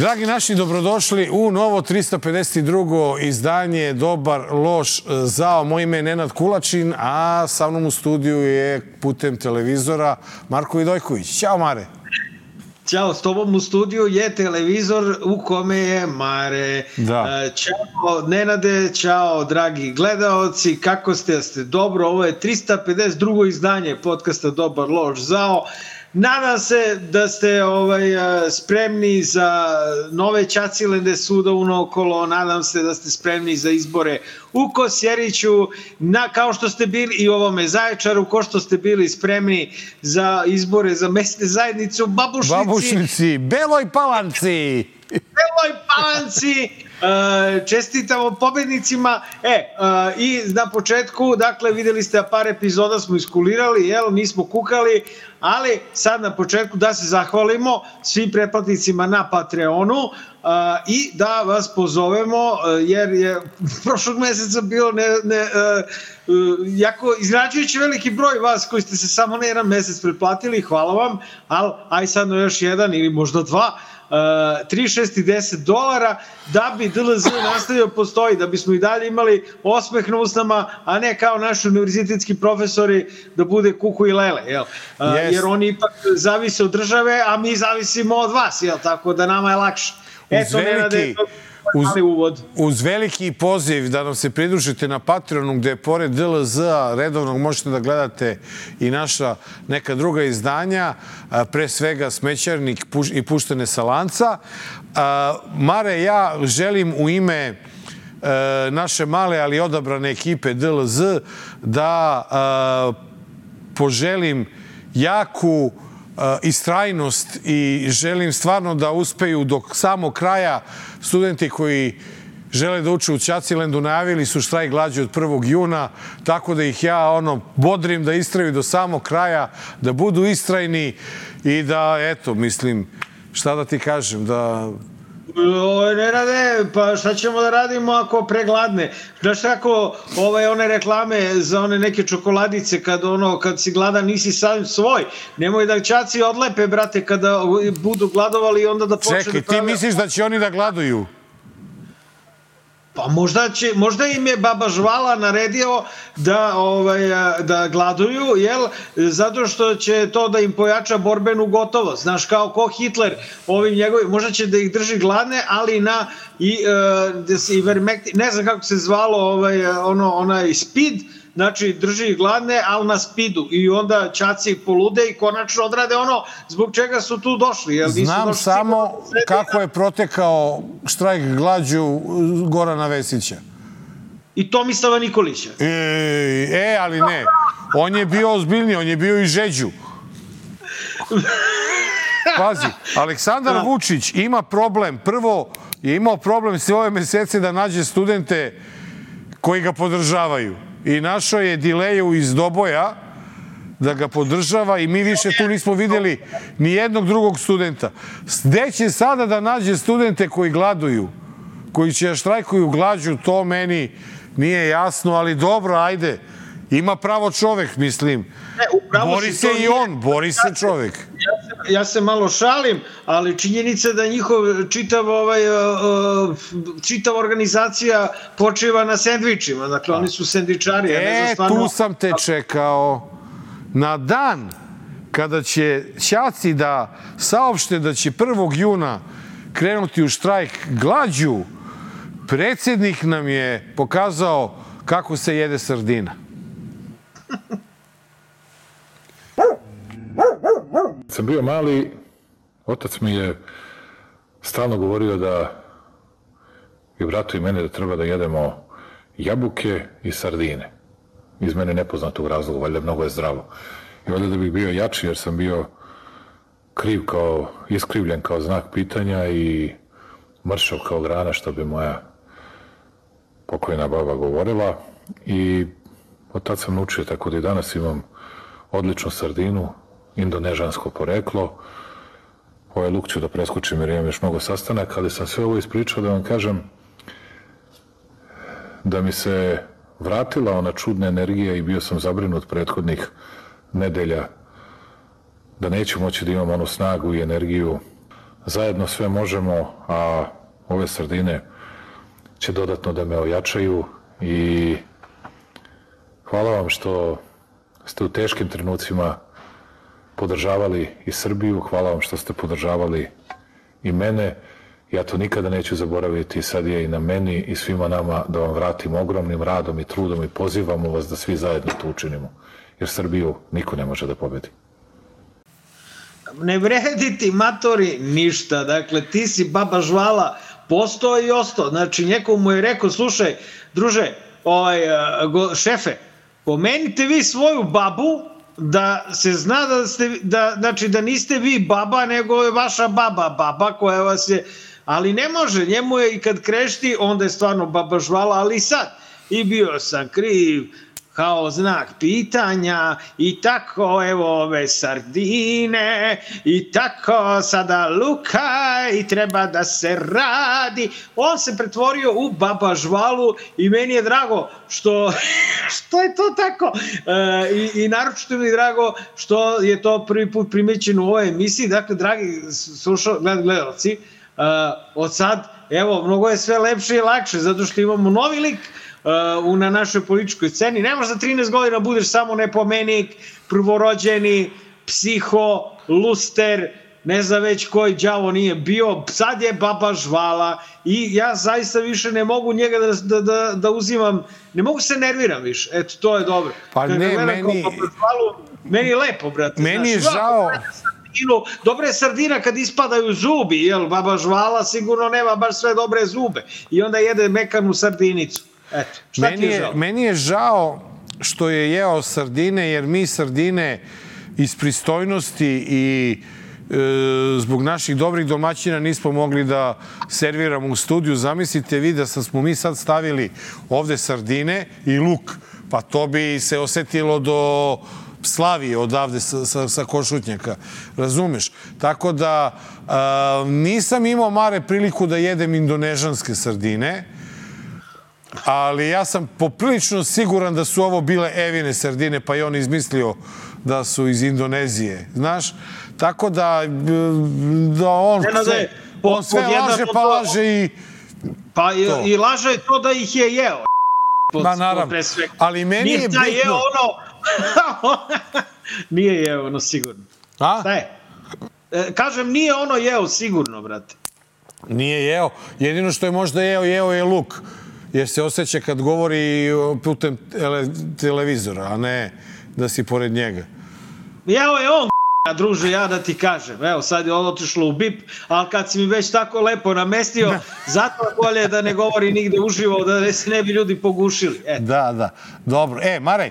Dragi naši, dobrodošli u novo 352. izdanje Dobar, loš, zao. Moje ime je Nenad Kulačin, a sa mnom u studiju je putem televizora Marko Vidojković. Ćao, Mare. Ćao, s tobom u studiju je televizor u kome je Mare. Da. Ćao, Nenade, ćao, dragi gledaoci, kako ste? Jeste dobro? Ovo je 352. izdanje podcasta Dobar, loš, zao. Nadam se da ste spremni za nove Ćacilende suda unaokolo, nadam se da ste spremni za izbore u Kosjeriću, kao što ste bili i u ovome Zaječaru, kao što ste bili spremni za izbore za mesne zajednice u Babušnici, Beloj Palanci. Beloj Palanci. Čestitamo pobednicima. I na početku, dakle, videli ste par epizoda smo iskulirali, nismo kukali, ali sad na početku da se zahvalimo svim pretplatnicima na Patreonu i da vas pozovemo, jer je prošlog meseca bilo jako izrađujući veliki broj vas koji ste se samo na jedan mesec pretplatili, hvala vam, ali aj sad na još jedan ili možda dva, 3, 6 i $10 da bi DLZ nastavio postoji, da bismo i dalje imali osmeh na usnama, a ne kao naši univerzitetski profesori da bude kuku i lele, jer oni ipak zavise od države, a mi zavisimo od vas, tako da nama je lakše. Uz veliki poziv da nam se pridružite na Patreonu, gde pored DLZ-a redovnog možete da gledate i naša neka druga izdanja, pre svega Smećarnik i Puštene sa lanca. Mare, ja želim u ime naše male, ali odabrane ekipe DLZ da poželim jaku istrajnost i želim stvarno da uspeju do samog kraja. Studenti koji žele da uče u Ćacilendu najavili su štrajk glađu od 1. juna, tako da ih ja bodrim da istraju do samog kraja, da budu istrajni i da, eto, mislim, šta da ti kažem, da... Ne rade, pa šta ćemo da radimo ako pregladne? Znaš kako one reklame za one neke čokoladice kad si gladan nisi sam svoj, nemoj da Ćaci odlepe, brate, kada budu gladovali i onda da počne da prave... Čekaj, ti misliš da će oni da gladuju? Pa možda im je Baba Žvala naredio da gladuju, zato što će to da im pojača borbenu gotovost. Znaš, kao ko Hitler, možda će da ih drži gladne, ali ne znam kako se zvalo onaj speed, znači drži ih gladne, ali na speedu. I onda Ćaci polude i konačno odrade ono zbog čega su tu došli. Znam samo kako je protekao štrajk glađu Gorana Vesića. I Tomislava Nikolića. Ali ne. On je bio ozbiljniji, on je bio i Žeđu. Pazi, Aleksandar Vučić ima problem. Prvo je imao problem sve ove mesece da nađe studente koji ga podržavaju. I našao je Dileju iz Doboja da ga podržava i mi više tu nismo videli ni jednog drugog studenta. Gde će sada da nađe studente koji gladuju, koji će štrajkuju glađu, to meni nije jasno, ali dobro, ajde. Ima pravo čovek, mislim. Bori se i on, bori se čovek. Ja se malo šalim, ali činjenica da njihov čitava organizacija počiva na sendvičima. Dakle, oni su sendvičari. Tu sam te čekao. Na dan kada će Ćaci da saopšte da će 1. juna krenuti u štrajk glađu, predsjednik nam je pokazao kako se jede sardina. Kad sam bio mali, otac mi je stalno govorio da i bratu i mene da treba da jedemo jabuke i sardine. Iz mene nepoznatog razloga, valjda mnogo je zdravo. I valjda da bih bio jači jer sam bio iskrivljen kao znak pitanja i mršav kao grana, što bi moja pokojna baba govorila. I od tad sam naučio, tako da i danas imam odličnu sardinu, indonežansko poreklo. Ovaj luk ću da preskočim jer imam još mnogo sastanaka, ali sam sve ovo ispričao da vam kažem da mi se vratila ona čudna energija i bio sam zabrinut prethodnih nedelja da neću moći da imam onu snagu i energiju zajedno sve možemo, a ove sardine će dodatno da me ojačaju i hvala vam što ste u teškim trenucima podržavali i Srbiju, hvala vam što ste podržavali i mene. Ja to nikada neću zaboraviti, sad je i na meni i svima nama da vam vratim ogromnim radom i trudom i pozivamo vas da svi zajedno to učinimo, jer Srbiju niko ne može da pobedi. Ne vredi ti, matori, ništa. Dakle, ti si baba žvala, postao i ostao. Znači, neko mu je rekao, slušaj, druže, šefe, pomenite vi svoju babu da se zna znači da niste vi baba, nego je vaša baba koja vas je, ali ne može, njemu je i kad krešti, onda je stvarno baba žvala, ali sad, i bio sam kriv, kao znak pitanja i tako, evo ove sardine i tako sada luka i treba da se radi. On se pretvorio u baba žvalu i meni je drago što je to tako i naročito mi je drago što je to prvi put primećeno u ovoj emisiji. Dakle, dragi gledalci, od sad, evo, mnogo je sve lepše i lakše zato što imamo novi lik na našoj političkoj sceni. Ne možeš za 13 godina budeš samo nepomenik, prvorođeni, psiho, luster, ne znam već koji đavo nije bio, sad je baba žvala i ja zaista više ne mogu njega da uzimam, ne mogu se nerviram više, eto, to je dobro. Pa ne, meni je lepo, brate. Meni je žao. Dobra je sardina kad ispadaju zubi, jel, baba žvala sigurno nema baš sve dobre zube i onda jede mekanu sardinicu. Eto, šta ti je žao? Meni je žao što je jeo sardine, jer mi sardine iz pristojnosti i zbog naših dobrih domaćina nismo mogli da serviramo u studiju. Zamislite vi da smo mi sad stavili ovde sardine i luk, pa to bi se osetilo do Slavije odavde sa Košutnjaka, razumeš? Tako da nisam imao mare priliku da jedem indonežanske sardine, ali ja sam poprilično siguran da su ovo bile Evine sardine, pa je on izmislio da su iz Indonezije, znaš? Tako da on sve laže, pa laže i... Pa i laže to da ih je jeo. Pa naravno, ali meni je bitno... Nije jeo ono sigurno. A? Šta je? Kažem, nije ono jeo sigurno, brate. Nije jeo. Jedino što je možda jeo je luk. Jer se osjeća kad govori putem televizora, a ne da si pored njega. Jeo je on, druže, ja da ti kažem. Evo, sad je otišlo u bip, ali kad si mi već tako lepo namestio, zato bolje da ne govori nigde uživo, da se ne bi ljudi pogušili. Da. Dobro. Maraj,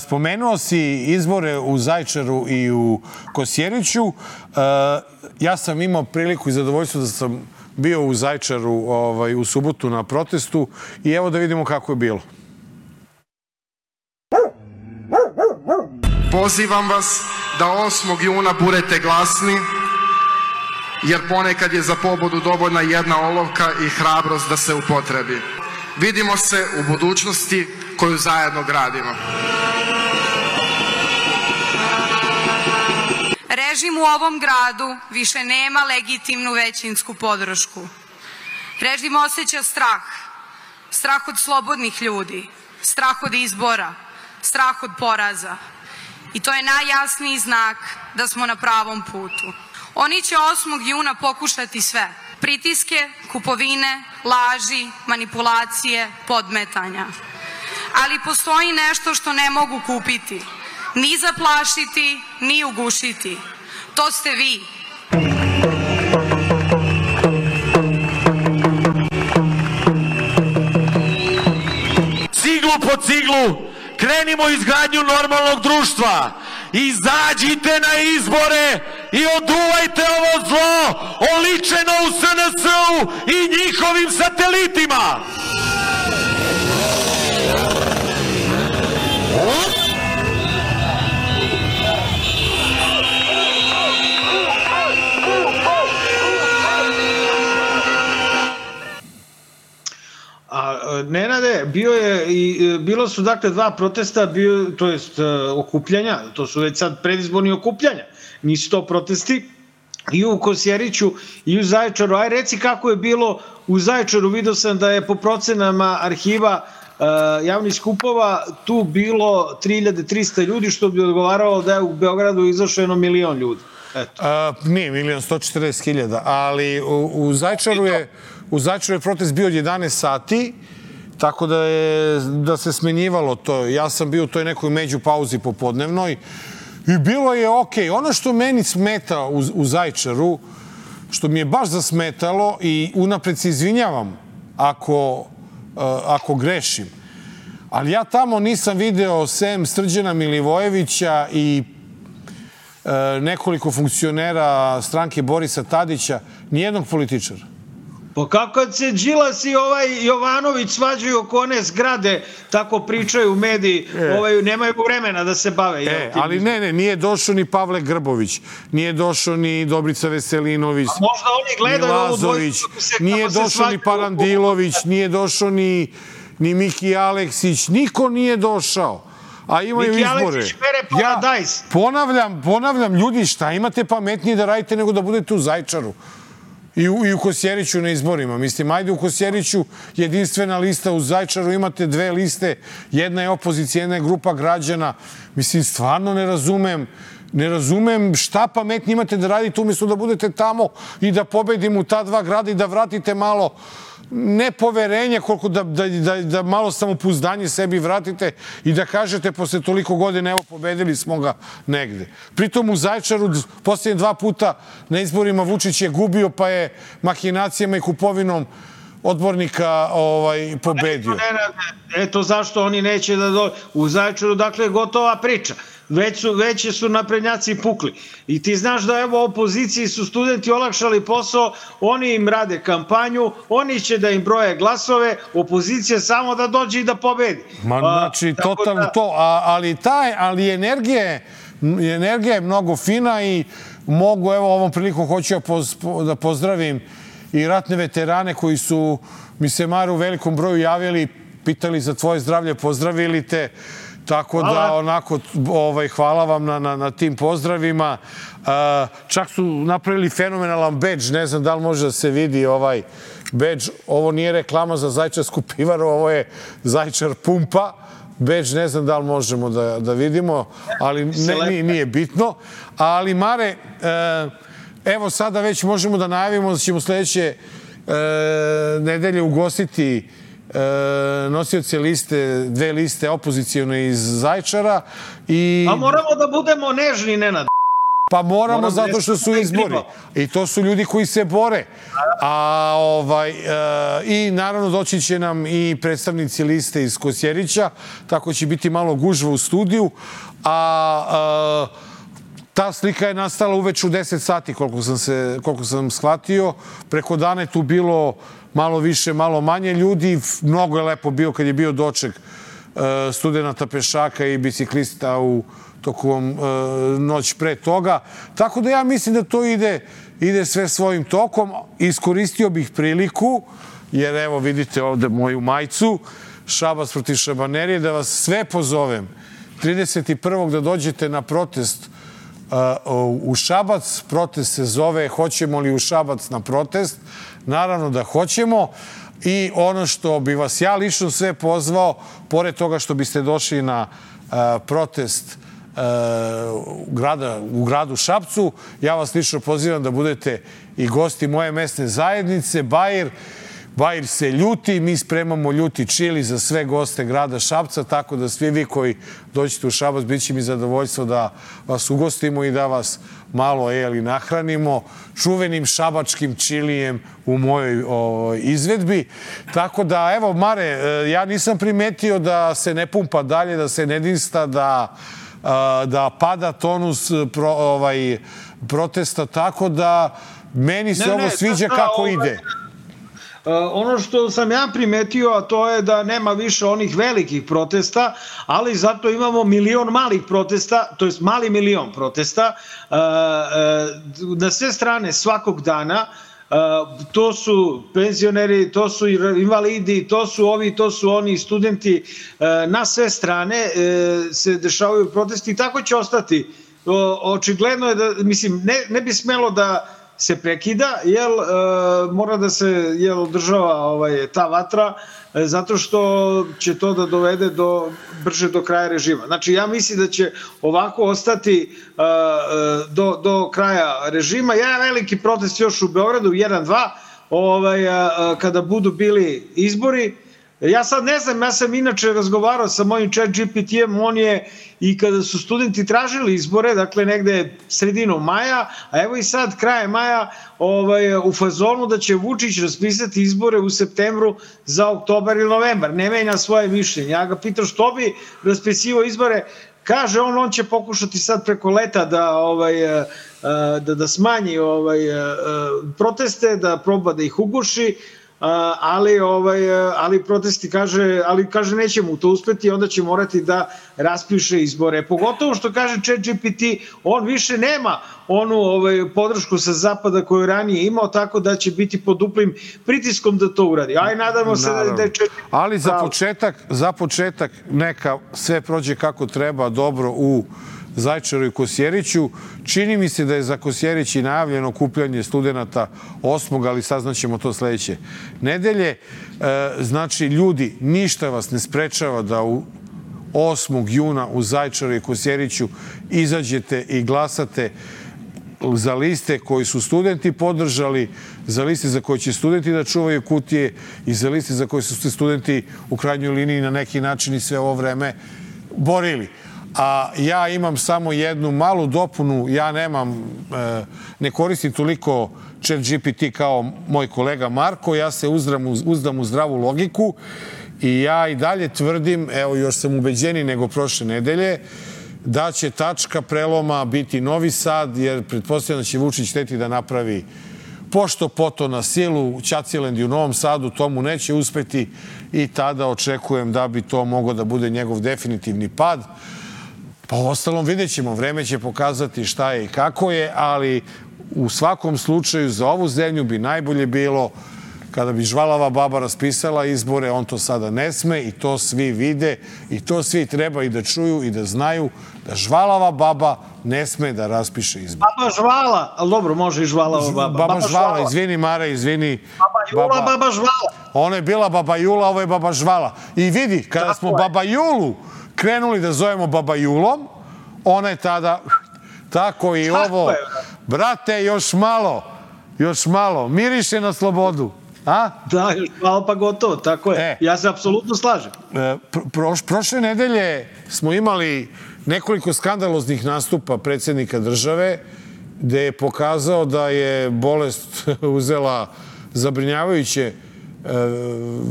spomenuo si izbore u Zaječaru i u Kosjeriću. Ja sam imao priliku i zadovoljstvo da sam bio u Zaječaru u subotu na protestu i evo da vidimo kako je bilo. Pozivam vas da 8. juna budete glasni, jer ponekad je za pobedu dovoljna jedna olovka i hrabrost da se upotrebi. Vidimo se u budućnosti koju zajedno gradimo. Režim u ovom gradu više nema legitimnu većinsku podršku. Režim osjeća strah. Strah od slobodnih ljudi, strah od izbora, strah od poraza. I to je najjasniji znak da smo na pravom putu. Oni će 8. juna pokušati sve. Pritiske, kupovine, laži, manipulacije, podmetanja. Ali postoji nešto što ne mogu kupiti. Ni zaplašiti, ni ugušiti. To ste vi. Ciglu po ciglu krenimo izgradnju normalnog društva. Izađite na izbore i oduvajte ovo zlo oličeno u SNS-u i njihovim satelitima. Nenade, bilo su dakle dva protesta, to jest okupljanja, to su već sad predizborni okupljanja, nisu to protesti, i u Kosjeriću i u Zaječaru. Aj reci kako je bilo u Zaječaru. Vidio sam da je po procenama arhiva javnih skupova tu bilo 3300 ljudi, što bi odgovaralo da je u Beogradu izašlo 1 milion ljudi. Nije 1.140.000, ali u Zaječaru je protest bio od 11 sati, tako da se smenjivalo to. Ja sam bio u toj nekoj međupauzi popodnevnoj i bilo je okej. Ono što meni smeta u Zaječaru, što mi je baš zasmetalo i unapred se izvinjavam ako grešim, ali ja tamo nisam video sem Srđana Milivojevića i nekoliko funkcionera stranke Borisa Tadića, nijednog političara. Pa kako se Đilas i Jovanović svađaju oko one zgrade, tako pričaju u mediji, nemaju vremena da se bave. Ali nije došao ni Pavle Grbović, nije došao ni Dobrica Veselinović, možda oni gledaju ni Lazović, nije došao ni Parandilović, nije došao ni Miki Aleksić, niko nije došao. A imaju izbore. Ja ponavljam, ljudi, šta imate pametnije da radite nego da budete u Zaječaru i u Kosjeriću na izborima. Mislim, ajde u Kosjeriću jedinstvena lista, u Zaječaru imate 2 liste, jedna je opozicija, jedna je grupa građana. Mislim, stvarno ne razumem šta pametnije imate da radite umjesto da budete tamo i da pobedimo u ta 2 grada i da vratite malo nepoverenje, koliko da malo samopouzdanje sebi vratite i da kažete posle toliko godina, evo, pobedili smo ga negde. Pritom u Zaječaru posljednje 2 puta na izborima Vučić je gubio, pa je mahinacijama i kupovinom odbornika pobedio. Eto zašto oni neće da dođu. U Zaječaru, dakle, gotova priča. Već su naprednjaci pukli. I ti znaš da evo opoziciji su studenti olakšali posao, oni im rade kampanju, oni će da im broje glasove, opozicija samo da dođe i da pobedi. Znači, totalno to. Ali energija je mnogo fina i mogu, evo, ovom prilikom hoću da pozdravim i ratne veterane koji su mi se, Mare, u velikom broju javili, pitali za tvoje zdravlje, pozdravili te. Tako da, onako, hvala vam na tim pozdravima. Čak su napravili fenomenalan bedž, ne znam da li može da se vidi ovaj bedž. Ovo nije reklama za Zaječarsku pivaru, ovo je Zaječar pumpa. Bedž ne znam da li možemo da vidimo, ali nije bitno. Ali, Mare, evo sada već možemo da najavimo da ćemo sledeće nedelje ugostiti nosioce liste, 2 liste opozicijone iz Zaječara. A moramo da budemo nežni, Nenad. Pa moramo zato što su izbori. I to su ljudi koji se bore. I naravno doći će nam i predstavnici liste iz Kosjerića, tako će biti malo gužva u studiju. Ta slika je nastala uveč u 10 sati, koliko sam shvatio. Preko dana je tu bilo malo više, malo manje ljudi. Mnogo je lepo bio kad je bio doček studenta pešaka i biciklista u tokom noć pre toga. Tako da ja mislim da to ide sve svojim tokom. Iskoristio bih priliku, jer evo vidite ovde moju majicu, Šabac protiv Šabanerije, da vas sve pozovem 31. da dođete na protest u Šabac. Protest se zove Hoćemo li u Šabac na protest? Naravno da hoćemo. I ono što bi vas ja lično sve pozvao, pored toga što biste došli na protest u gradu Šapcu, ja vas lično pozivam da budete i gosti moje mesne zajednice, Bair se ljuti, mi spremamo ljuti čili za sve goste grada Šapca, tako da svi vi koji dođete u Šabac, bit će mi zadovoljstvo da vas ugostimo i da vas malo nahranimo čuvenim šabačkim čilijem u mojoj izvedbi. Tako da, evo, Mare, ja nisam primetio da se ne pumpa dalje, da se ne dinsta, da pada tonus protesta, tako da meni se ovo sviđa kako ide. Ono što sam ja primetio, a to je da nema više onih velikih protesta, ali zato imamo milion malih protesta, to je mali milion protesta na sve strane svakog dana. To su penzioneri, to su invalidi, to su ovi, to su oni studenti. Na sve strane se dešavaju protesti i tako će ostati očigledno je da, mislim, ne bi smelo da se prekida, jer mora da se održava ta vatra, zato što će to da dovede brže do kraja režima. Znači, ja mislim da će ovako ostati do kraja režima. Jedan veliki protest još u Beogradu, 1-2, kada budu bili izbori. Ja sad ne znam, ja sam inače razgovarao sa mojim ChatGPT-em, on je i kada su studenti tražili izbore, dakle negde sredinom maja, a evo i sad kraje maja u fazonu da će Vučić raspisati izbore u septembru za oktobar ili novembar. Ne menja svoje mišljenje. Ja ga pitam što bi raspisivao izbore, kaže on će pokušati sad preko leta da smanji proteste, da proba da ih uguši, ali protesti kaže neće mu to uspeti, onda će morati da raspiše izbore. Pogotovo što kaže ChatGPT, on više nema onu podršku sa zapada koju ranije imao, tako da će biti pod duplim pritiskom da to uradi. Aj, nadamo se da je ChatGPT... Ali za početak neka sve prođe kako treba dobro u Zaječaru i Kosjeriću. Čini mi se da je za Kosjerić i najavljeno okupljanje studenta 8. ali saznaćemo to sledeće nedelje. Znači, ljudi, ništa vas ne sprečava da u 8. juna u Zaječaru i Kosjeriću izađete i glasate za liste koji su studenti podržali, za liste za koje će studenti da čuvaju kutije i za liste za koje su se studenti u krajnjoj liniji na neki način i sve ovo vreme borili. A ja imam samo jednu malu dopunu, ja ne koristim toliko ChatGPT kao moj kolega Marko, ja se uzdam u zdravu logiku i ja i dalje tvrdim, evo još sam ubeđeniji nego prošle nedelje, da će tačka preloma biti Novi Sad, jer pretpostavljam da će Vučić hteti da napravi pošto poto na silu Ćaciland i u Novom Sadu, to mu neće uspeti i tada očekujem da bi to moglo da bude njegov definitivni pad. Pa u ostalom vidjet ćemo, vreme će pokazati šta je i kako je, ali u svakom slučaju za ovu zemlju bi najbolje bilo kada bi žvalava baba raspisala izbore, on to sada ne sme i to svi vide i to svi treba i da čuju i da znaju da žvalava baba ne sme da raspiše izbore. Baba žvala, ali dobro, može i žvalava baba. Baba žvala, izvini Mare, izvini. Baba Jula, baba žvala. Ona je bila baba Jula, ovo je baba žvala. I vidi, kada smo baba Julu krenuli da zovemo baba Julom, ona je tada, tako i ovo, brate, još malo, miriše na slobodu. A? Da, još malo pa gotovo, tako je. Ja se apsolutno slažem. Prošle nedelje smo imali nekoliko skandaloznih nastupa predsjednika države, gde je pokazao da je bolest uzela zabrinjavajuće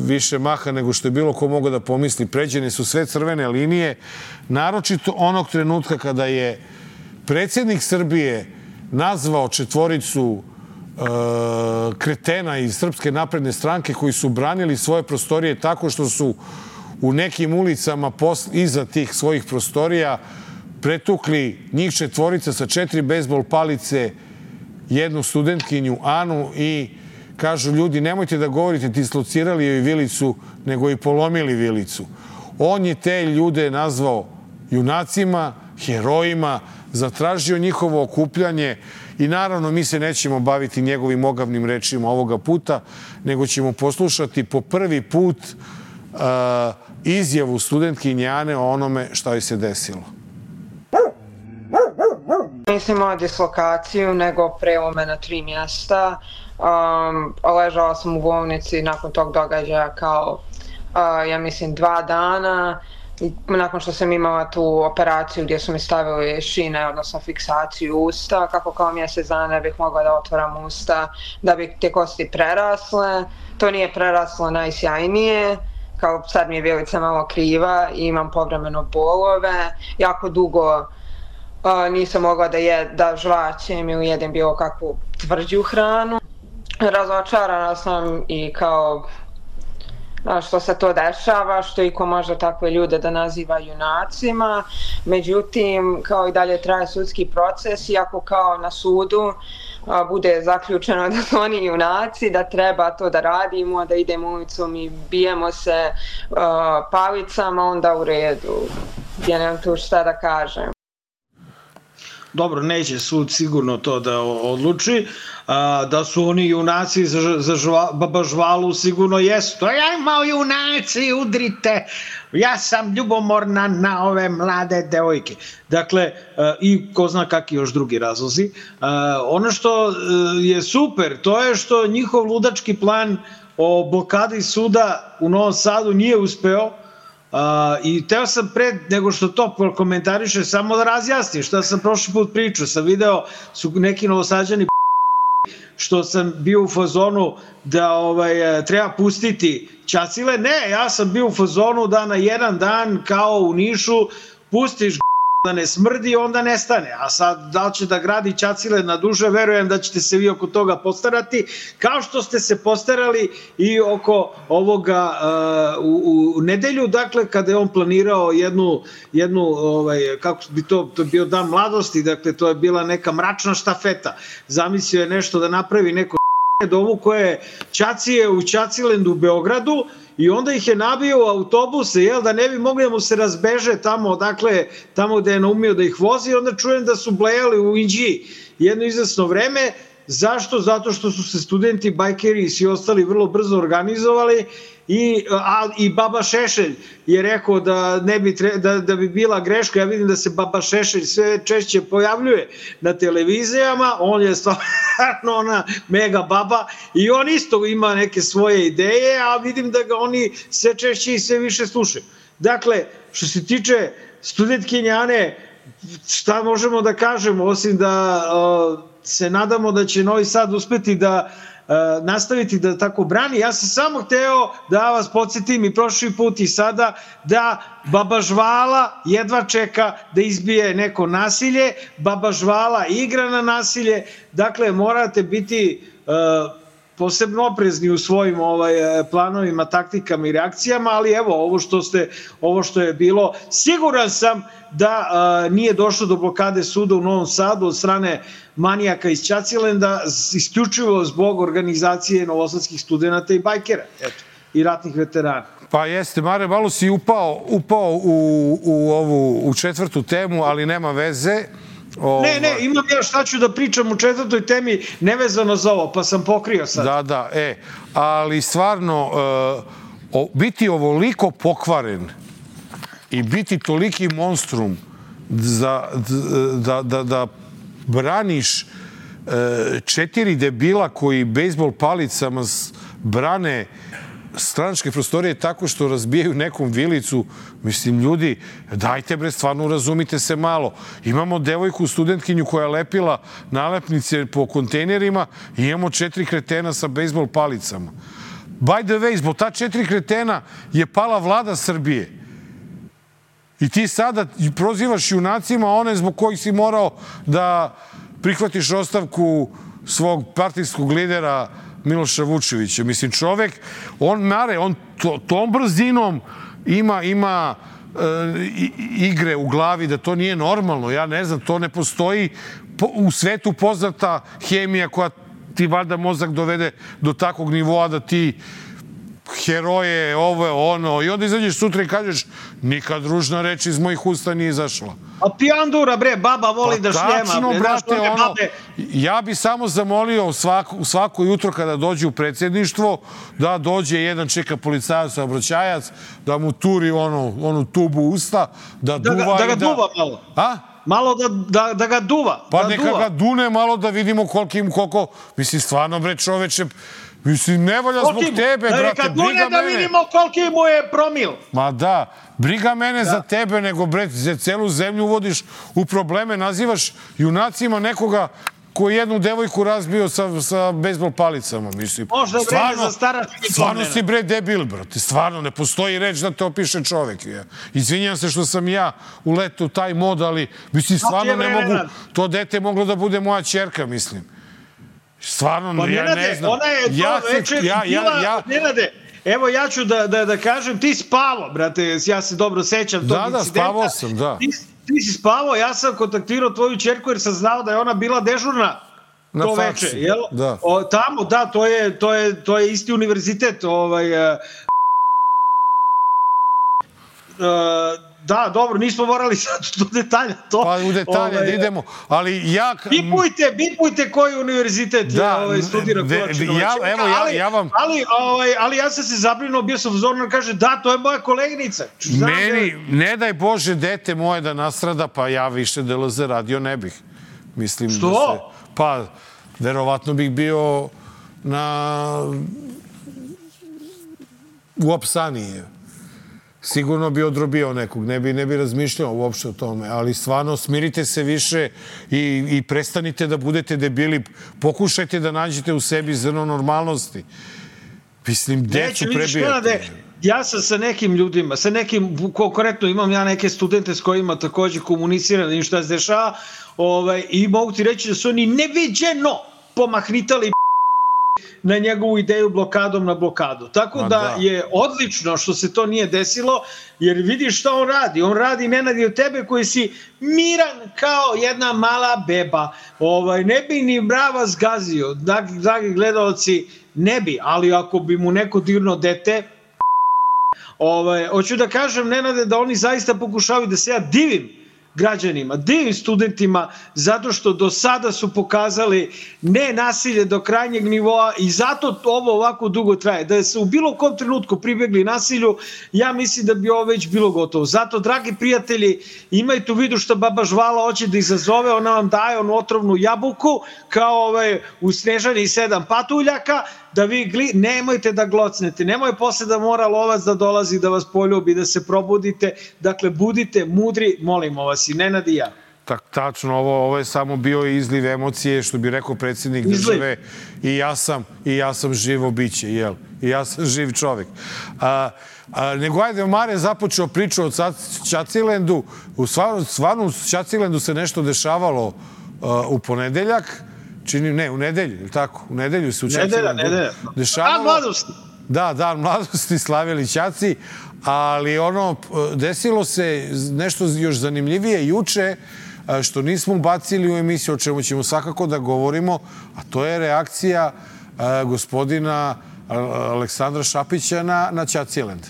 više maha nego što je bilo ko mogao da pomisli. Pređene su sve crvene linije, naročito onog trenutka kada je predsjednik Srbije nazvao četvoricu kretena iz Srpske napredne stranke koji su branili svoje prostorije tako što su u nekim ulicama iza tih svojih prostorija pretukli njih četvorica sa 4 bejzbol palice, jednu studentkinju Anu i kažu ljudi nemojte da govorite dislocirali joj vilicu nego i polomili vilicu. On je te ljude nazvao junacima, herojima, zatražio njihovo okupljanje i naravno mi se nećemo baviti njegovim ogavnim rečima ovoga puta, nego ćemo poslušati po prvi put izjavu studentkinje Ane o onome šta joj se desilo. Nisam imala dislokaciju, nego prelome na 3 mjesta. Ležala sam u bolnici nakon tog događaja kao, ja mislim, 2 dana. Nakon što sam imala tu operaciju gdje su mi stavili šine, odnosno fiksaciju usta, kako kao mjesec dana ne bih mogla da otvaram usta, da bi te kosti prerasle. To nije preraslo najsjajnije, kao sad mi je vilica malo kriva i imam povremeno bolove. Jako dugo nisam mogla da žvaćem ili jedem bilo kakvu tvrđu hranu. Razočarana sam i kao što se to dešava, što iko može takve ljude da naziva junacima. Međutim, kao i dalje traje sudski proces, iako kao na sudu bude zaključeno da su oni junaci, da treba to da radimo, da idemo ulicom i bijemo se palicama, onda u redu. Ja nemam tu šta da kažem. dobro, neće sud sigurno to da odluči, da su oni junaci za Baba Žvalu sigurno jesu. To je, ajmo junaci, udrite, ja sam ljubomorna na ove mlade devojke. Dakle, i ko zna kakvi još drugi razlozi. Ono što je super, to je što njihov ludački plan o blokadi suda u Novom Sadu nije uspeo. I teo sam pre nego što to komentariše samo da razjasnim šta sam prošli put pričao. Sam video su neki Novosađani što sam bio u fazonu da treba pustiti Ćacile. Ne, ja sam bio u fazonu da na jedan dan kao u Nišu pustiš da ne smrdi, onda nestane. A sad, da li će da gradi Ćacile na duže, verujem da ćete se vi oko toga postarati, kao što ste se postarali i oko ovoga u nedelju, dakle, kada je on planirao jednu kako bi to bio dan mladosti, dakle, to je bila neka mračna štafeta. Zamislio je nešto da napravi neko dovuko je Ćacije u Ćacilendu u Beogradu i onda ih je nabio u autobuse, da ne bi mogli da mu se razbeže tamo gde je naumio da ih vozi. Onda čujem da su blejali u Inđiji jedno izvesno vreme. Zašto? Zato što su se studenti, bajkeri i svi ostali vrlo brzo organizovali i Baba Šešelj je rekao da bi bila greška. Ja vidim da se Baba Šešelj sve češće pojavljuje na televizijama, on je stvarno ona mega baba i on isto ima neke svoje ideje, a vidim da ga oni sve češće i sve više slušaju. Dakle, što se tiče studentkinje Ane, šta možemo da kažemo, osim da se nadamo da će Novi Sad uspeti da nastaviti da tako brani. Ja sam samo hteo da vas podsjetim i prošli put i sada da Baba Žvala jedva čeka da izbije neko nasilje, Baba Žvala igra na nasilje, dakle morate biti posebno oprezni u svojim planovima, taktikama i reakcijama, ali evo, ovo što je bilo, siguran sam da nije došlo do blokade suda u Novom Sadu od strane manijaka iz Ćacilenda, isključivo zbog organizacije novosadskih studenta i bajkera, i ratnih veterana. Pa jeste, Mare, malo si upao u četvrtu temu, ali nema veze. Ne, imam ja šta ću da pričam u četvrtoj temi nevezano za ovo, pa sam pokrio sad. Da, ali stvarno, biti ovoliko pokvaren i biti toliki monstrum da braniš 4 debila koji bejsbol palicama brane stranačke prostorije tako što razbijaju nekom vilicu. Mislim, ljudi, dajte bre, stvarno razumite se malo. Imamo devojku, studentkinju koja je lepila nalepnice po kontejnerima i imamo 4 kretena sa bejsbol palicama. By the way, zbog ta 4 kretena je pala vlada Srbije. I ti sada prozivaš junacima one zbog kojih si morao da prihvatiš ostavku svog partijskog lidera Miloša Vučevića. Mislim, čovek, on tom brzinom ima igre u glavi da to nije normalno. Ja ne znam, to ne postoji u svetu poznata hemija koja ti valjda mozak dovede do takvog nivoa da ti heroje, ovo, ono, i onda izađeš sutra i kažeš nikad ružna reč iz mojih usta nije izašla. A pijandura, bre, baba voli da šljema. Tačno, brate, ono, ja bi samo zamolio svako jutro kada dođe u predsjedništvo da dođe jedan čeka policajac, saobraćajac, da mu turi onu tubu usta, da duva da ga duva malo. A? Malo da ga duva. Pa neka ga dune malo da vidimo koliko, mislim, stvarno, bre, čoveče, mislim, ne volja zbog tebe, brate, briga mene. Da vidimo koliki mu je promil. Ma da, briga mene za tebe, nego, bre, za celu zemlju uvodiš u probleme, nazivaš junacima nekoga koji jednu devojku razbio sa bejsbol palicama, mislim. Možda je vreme za starački. Stvarno si, bre, debil, brate, stvarno, ne postoji reč da te opiše čovek. Izvinjam se što sam ja uletao u taj mod, ali, mislim, stvarno ne mogu, to dete moglo da bude moja ćerka, mislim. Stvarno, ja ne znam. Ona je to večer bila, Nenade, evo ja ću da kažem, ti spavo, brate, ja se dobro sećam tog incidenta. Da, spavao sam, da. Ti si spavao, ja sam kontaktirao tvoju ćerku jer sam znao da je ona bila dežurna to veče, jel? Da. Tamo, da, to je isti univerzitet, Da, dobro, nismo morali sad do detalja to. Pa u detalje da idemo, ali ja... Bipujte koji univerzitet studira Kovačinović. Ali ja sam se zabrinuo, bio sam vzorno, kaže, da, to je moja koleginica. Meni, ne daj Bože, dete moje da nastrada, pa ja više DLZ radio ne bih. Mislim što? Da se... Pa, verovatno bih bio u Apsaniji. Sigurno bi odrobio nekog, ne bi razmišljao uopšte o tome, ali stvarno smirite se više i prestanite da budete debili, pokušajte da nađete u sebi zrno normalnosti. Mislim, decu prebijate. Ja sam sa nekim ljudima, konkretno imam ja neke studente s kojima takođe komuniciram i šta se dešava i mogu ti reći da su oni neviđeno pomahnitali na njegovu ideju blokadom na blokadu. Tako da je odlično što se to nije desilo, jer vidiš šta on radi. On radi, Nenadi, od tebe koji si miran kao jedna mala beba. Ne bi ni mrava zgazio. Dragi gledalci, ne bi, ali ako bi mu neko dirno dete, hoću da kažem, Nenade, da oni zaista pokušavaju da se ja divim građanima, divim studentima, zato što do sada su pokazali ne nasilje do krajnjeg nivoa i zato ovo ovako dugo traje. Da se u bilo kom trenutku pribegli nasilju, ja mislim da bi ovo već bilo gotovo. Zato, dragi prijatelji, imajte u vidu što baba Žvala hoće da izazove, ona vam daje onu otrovnu jabuku, kao u Snežani 7 patuljaka, da vi nemojte da glocnete, nemoj posle da mora lovac da dolazi da vas poljubi, da se probudite, dakle budite mudri, molimo vas, i Nenad i ja. Tačno, ovo je samo bio izliv emocije, što bi rekao predsjednik države, i ja sam živo biće, jel? I ja sam živ čovjek. Nego ajde, Mare započeo priču o Ćacilendu, stvarno u Ćacilendu se nešto dešavalo u ponedeljak, u nedelju, ili tako? U nedelju se u Ćacilendu dešavalo. Dan mladosti. Da, Dan mladosti, slavili Ćaci, ali desilo se nešto još zanimljivije juče, što nismo ubacili u emisiju, o čemu ćemo svakako da govorimo, a to je reakcija gospodina Aleksandra Šapića na Ćacilend.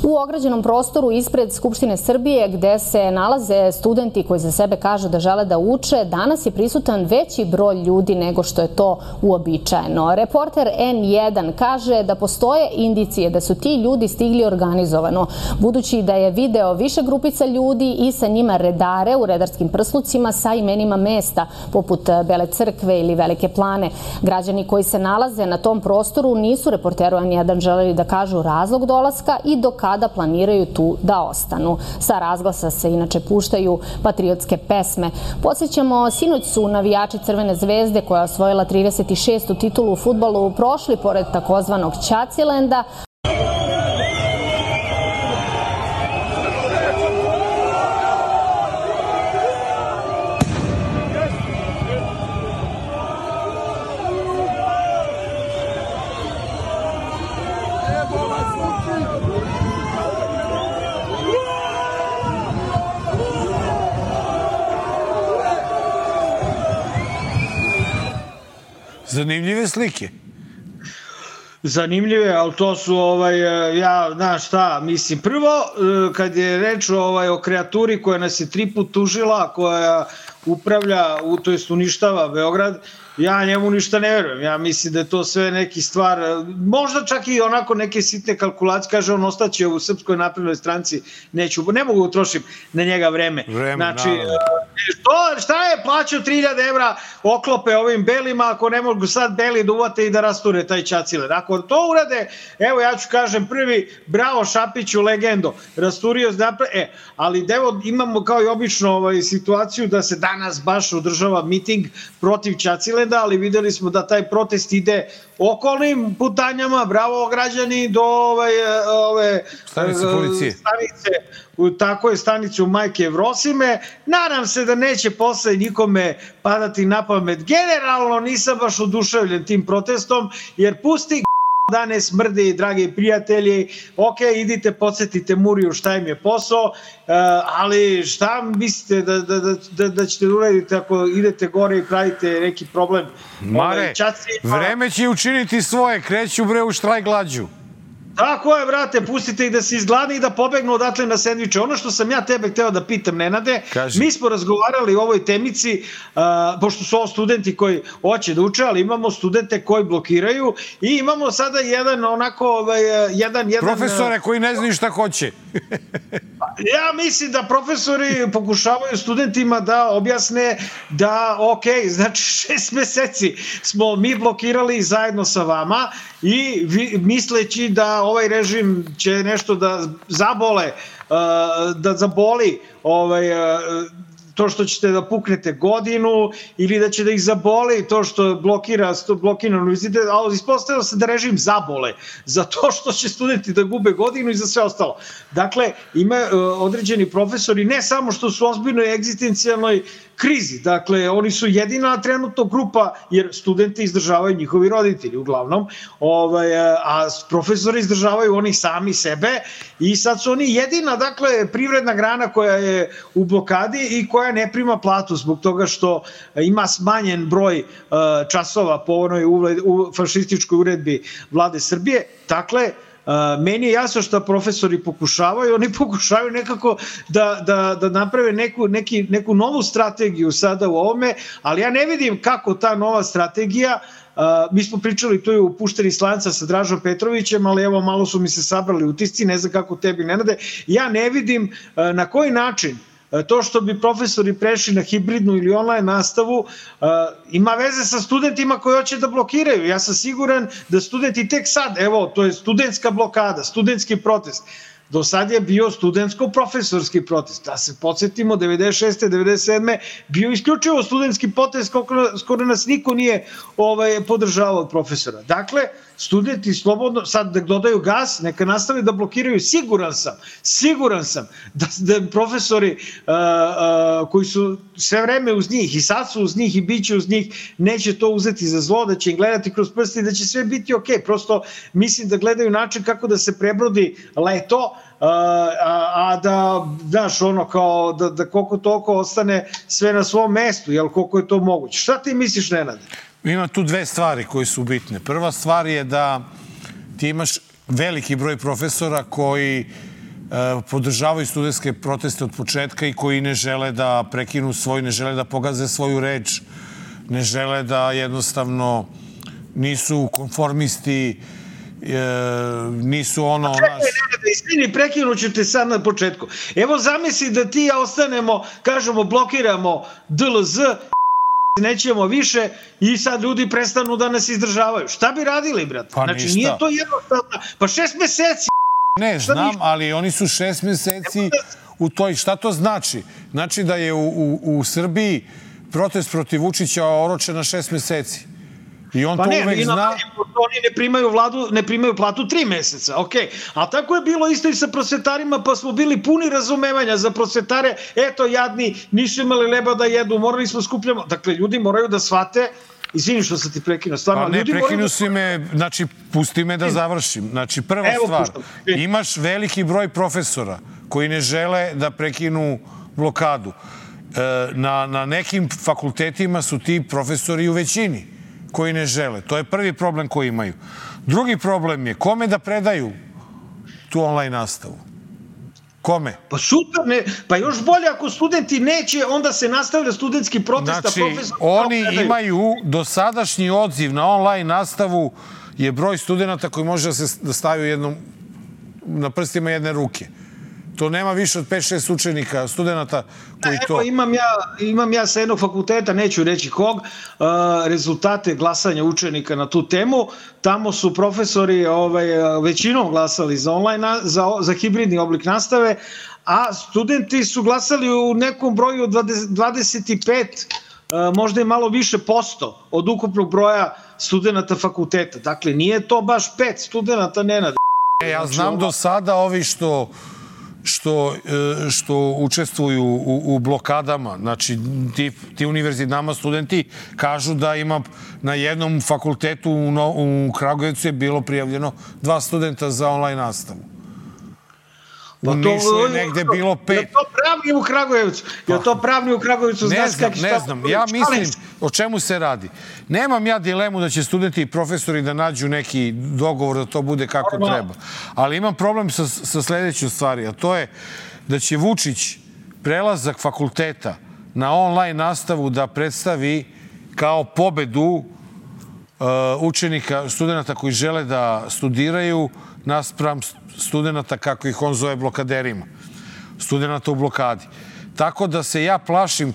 U ograđenom prostoru ispred Skupštine Srbije, gde se nalaze studenti koji za sebe kažu da žele da uče, danas je prisutan veći broj ljudi nego što je to uobičajeno. Reporter N1 kaže da postoje indicije da su ti ljudi stigli organizovano, budući da je video više grupica ljudi i sa njima redare u redarskim prslucima sa imenima mesta, poput Bele crkve ili Velike Plane. Građani koji se nalaze na tom prostoru nisu reporteru N1 želeli da kažu razlog dolaska i do kada planiraju tu da ostanu. Sa razglasa se inače puštaju patriotske pesme. Podsjećamo, sinoć su navijači Crvene zvezde, koja je osvojila 36. titulu u fudbalu, prošli pored takozvanog Ćacilenda. Zanimljive slike. Zanimljive, ali to su, znaš šta, mislim, prvo, kad je reč o kreaturi koja nas je 3 put tužila, koja upravlja, to jest uništava Beograd, ja njemu ništa ne verujem. Ja mislim da je to sve neki stvar, možda čak i onako neke sitne kalkulacije, kaže on ostaće u Srpskoj naprednoj stranci, ne mogu utrošiti na njega vreme. Znači, šta je plaćao 3000 evra oklope ovim belima, ako ne mogu sad beli da uvate i da rasture taj Ćacilen. Ako to urade, evo ja ću kažem prvi, bravo Šapiću, legendo, rasturio, ali evo imamo kao i obično situaciju da se danas baš održava miting protiv Ćacilenda, ali videli smo da taj protest ide okolnim putanjama, bravo građani, do ove stanice policije. Tako je, stanicu Majke Jevrosime. Nadam se da neće posle nikome padati na pamet. Generalno nisam baš oduševljen tim protestom, jer pusti da ne smrdi, dragi prijatelji, ok, idite, podsjetite Muriju šta im je posao, ali šta mislite da ćete uraditi ako idete gore i pravite neki problem? Mare, vreme će učiniti svoje, kreću bre u štrajk glađu. Tako je, brate, pustite ih da se izgladne i da pobegnu odatle na sendviče. Ono što sam ja tebe hteo da pitam, Nenade, mi smo razgovarali o ovoj temici, pošto su ovo studenti koji hoće da uče, ali imamo studente koji blokiraju i imamo sada jedan onako, jedan... Profesore koji ne znaju šta hoće. Ja mislim da profesori pokušavaju studentima da objasne da, ok, znači 6 meseci smo mi blokirali zajedno sa vama i misleći da ovaj režim će nešto da zabole, da zaboli to što ćete da puknete godinu ili da će da ih zaboli to što blokira univerzitet, ali ispostavilo se da režim zabole za to što će studenti da gube godinu i za sve ostalo. Dakle, ima određeni profesori, ne samo što su u ozbiljnoj egzistencijalnoj krizi, dakle, oni su jedina trenutno grupa, jer studente izdržavaju njihovi roditelji uglavnom, a profesori izdržavaju oni sami sebe i sad su oni jedina, dakle, privredna grana koja je u blokadi i koja ne prima platu zbog toga što ima smanjen broj časova po onoj fašističkoj uredbi Vlade Srbije. Dakle, meni je jasno što profesori pokušavaju, oni pokušavaju nekako da naprave neku novu strategiju sada u ovome, ali ja ne vidim kako ta nova strategija, mi smo pričali tu je u Pušteni slanca sa Dražom Petrovićem, ali evo malo su mi se sabrali utisci, ne znam kako tebi, Nenade, ja ne vidim na koji način to što bi profesori prešli na hibridnu ili online nastavu ima veze sa studentima koji hoće da blokiraju. Ja sam siguran da studenti tek sad, evo, to je studentska blokada, studentski protest. Do sad je bio studentsko-profesorski protest. Da se podsjetimo, 96. 97. bio isključivo studentski protest, skoro nas niko nije podržavao od profesora. Dakle, studenti slobodno, sad da dodaju gas, neka nastave da blokiraju, siguran sam da profesori koji su sve vreme uz njih i sad su uz njih i bit će uz njih, neće to uzeti za zlo, da će im gledati kroz prste i da će sve biti ok. Prosto mislim da gledaju način kako da se prebrodi leto, a da, znaš, ono kao da koliko toliko ostane sve na svom mestu, jel, koliko je to moguće. Šta ti misliš, Nenade? Ima tu dve stvari koje su bitne. Prva stvar je da ti imaš veliki broj profesora koji podržavaju studentske proteste od početka i koji ne žele da prekinu ne žele da pogaze svoju reč, ne žele da jednostavno nisu konformisti, nisu ono... Istini, prekinuću te sad na početku. Evo zamisli da ti ja ostanemo, kažemo, blokiramo DLZ, nećemo više i sad ljudi prestanu da nas izdržavaju. Šta bi radili, brate? Pa znači, ništa. nije to jednostavno. Pa 6 meseci. Ne, znam, ali oni su 6 meseci u toj... Šta to znači? Znači da je u Srbiji protest protiv Vučića oročen na 6 meseci. I on to uvek zna... Oni ne primaju platu 3 meseca, ok. A tako je bilo isto i sa prosvetarima, pa smo bili puni razumevanja za prosvetare. Eto, jadni, nisu imali leba da jedu, morali smo skupljamo. Dakle, ljudi moraju da shvate. Izvini što sam ti prekinuo. Pa ne, prekinu si me, znači, pusti me da završim. Znači, prva stvar, imaš veliki broj profesora koji ne žele da prekinu blokadu. Na nekim fakultetima su ti profesori u većini koji ne žele. To je prvi problem koji imaju. Drugi problem je kome da predaju tu online nastavu. Kome? Pa super, ne, pa još bolje ako studenti neće, onda se nastavlja studentski protest. Znači, oni imaju dosadašnji odziv na online nastavu je broj studenta koji može da stavio na prstima jedne ruke. To nema više od 5-6 učenika, studenta koji to... Evo, imam ja sa jednog fakulteta, neću reći kog, rezultate glasanja učenika na tu temu. Tamo su profesori većinom glasali za online, za hibridni oblik nastave, a studenti su glasali u nekom broju od 25, možda i malo više posto od ukupnog broja studenta fakulteta. Dakle, nije to baš 5 studenta, Nenad. Ja znam do sada ovi što učestvuju u blokadama, znači ti univerzitetama studenti kažu da ima na jednom fakultetu u Kragujevcu je bilo prijavljeno 2 studenta za online nastavu. U Nišu je negde bilo 5. Je to pravni u Kragujevcu? Je to pravni u Kragujevcu? Ne znam, ja mislim o čemu se radi? Nemam ja dilemu da će studenti i profesori da nađu neki dogovor da to bude kako treba. Ali imam problem sa sledećom stvari, a to je da će Vučić prelazak fakulteta na online nastavu da predstavi kao pobedu učenika, studenta koji žele da studiraju naspram studenta kako ih on zove blokaderima. Studenta u blokadi. Tako da se ja plašim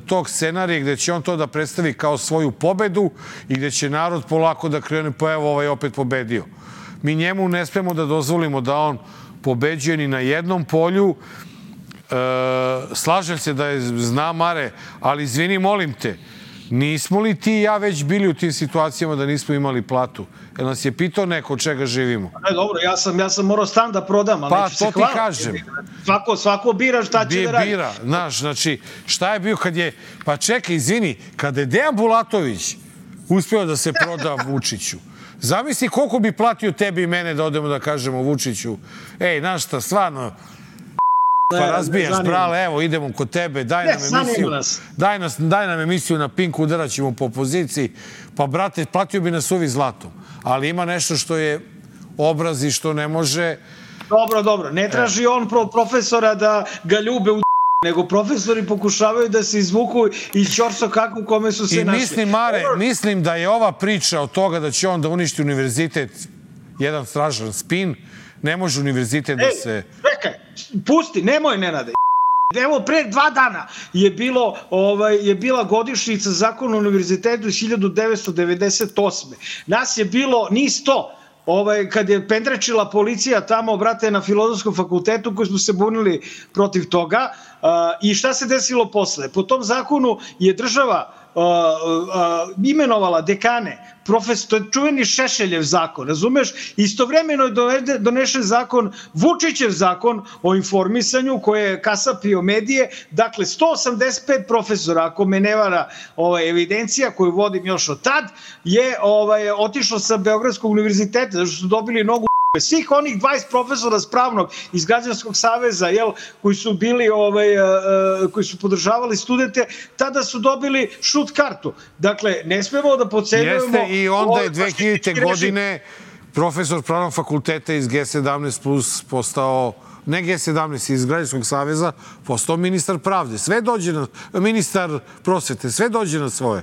tog scenarija gde će on to da predstavi kao svoju pobedu i gde će narod polako da krene, pa evo ovaj opet pobedio. Mi njemu ne smemo da dozvolimo da on pobeđuje ni na jednom polju. Slažem se da je zna mare, ali izvini, molim te, nismo li ti i ja već bili u tim situacijama da nismo imali platu? Jer nas je pitao neko od čega živimo? Ne, dobro, ja sam morao stan da prodam, ali neću se hvaliti. Pa, to ti kažem. Svako bira šta će da radi. Bira, znaš, znači, šta je bio kad je... Pa čekaj, izvini, kada je Dejan Bulatović uspeo da se proda Vučiću, zamisli koliko bi platio tebi i mene da odemo da kažemo Vučiću, ej, znaš šta, stvarno... Pa razbijaš, brale, evo, idemo kod tebe, daj nam emisiju na Pinku, udarat ćemo po opoziciji. Pa, brate, platio bi nas uvi zlatom. Ali ima nešto što je obraz i što ne može... Dobro. Ne traži on profesora da ga ljube u nego profesori pokušavaju da se izvuku iz ćorsokaka u kome su se našli. I mislim da je ova priča od toga da će on da uništi univerzitet jedan stražan spin. Ne može univerzitet da se... Čekaj, pusti, nemoj, Nenade. Evo, pre 2 dana je bila godišnjica Zakona o univerzitetu iz 1998. Nas je bilo ni 100. Kad je pendrečila policija tamo, brate, na Filozofskom fakultetu, koji smo se bunili protiv toga. I šta se desilo posle? Po tom zakonu je država imenovala dekane, to je čuveni Šešeljev zakon, razumeš? Istovremeno je donešen zakon, Vučićev zakon o informisanju, koji je kasapio medije. Dakle, 185 profesora, ako me ne vara evidencija koju vodim još od tad, je otišlo sa Beogradskog univerziteta, zato što su dobili nogu svih onih 20 profesora s pravnog iz Građanskog saveza, koji su bili, koji su podržavali studente, tada su dobili šut kartu. Dakle, ne smemo da podcenjujemo... Jeste, i onda je 2000. godine profesor pravnog fakulteta iz G17 plus postao, ne G17, iz Građanskog saveza, postao ministar pravde. Sve dođe na... Ministar prosvete, sve dođe na svoje.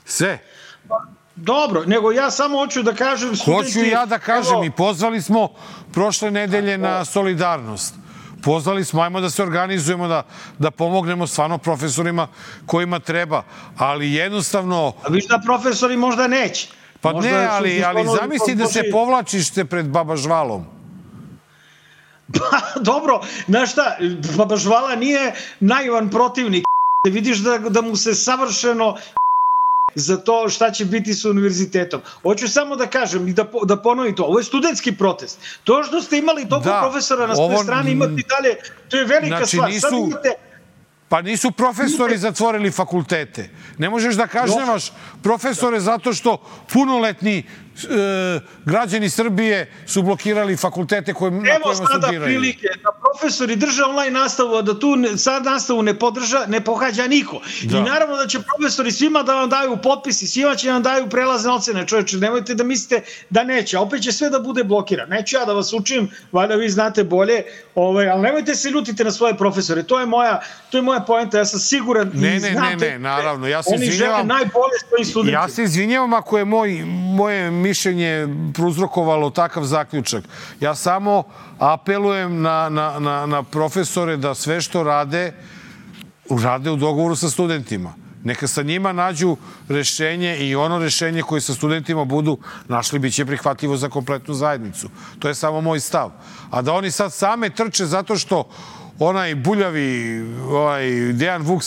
Sve. Dobro, nego ja samo hoću da kažem... Hoću ja da kažem i pozvali smo prošle nedelje na solidarnost. Pozvali smo, ajmo da se organizujemo, da pomognemo stvarno profesorima kojima treba, ali jednostavno... A viš da profesori možda neće. Pa ne, ali zamisli da se povlačiš se pred Baba Žvalom. Pa dobro, znaš šta, Baba Žvala nije naivan protivnik. Vidiš da mu se savršeno... za to šta će biti sa univerzitetom. Hoću samo da kažem i da ponovim to. Ovo je studentski protest. To što ste imali toliko profesora na svojoj strani, imate i dalje, to je velika stvar. Pa nisu profesori zatvorili fakultete. Ne možeš da kažnjavaš profesore zato što punoletni građani Srbije su blokirali fakultete na kojima studiraju. Evo sada prilike da profesori drže online nastavu, a da tu sad nastavu ne pohađa niko. I naravno da će profesori svima da vam daju potpis i svima će vam daju prelazne ocene. Čovječe, nemojte da mislite da neće. Opet će sve da bude blokirano. Neću ja da vas učim, valjda vi znate bolje, ali nemojte se ljutiti na svoje profesore. To je moja poenta. Ja sam siguran i znam ne, naravno. Oni žele najbolje svojim studentima. Ja se izvinjavam ako je moje mišljenje prouzrokovalo takav zaključak. Ja samo apelujem na profesore da sve što rade u dogovoru sa studentima. Neka sa njima nađu rešenje i ono rešenje koje sa studentima budu našli biće prihvatljivo za kompletnu zajednicu. To je samo moj stav. A da oni sad same trče zato što onaj buljavi Dejan Vučić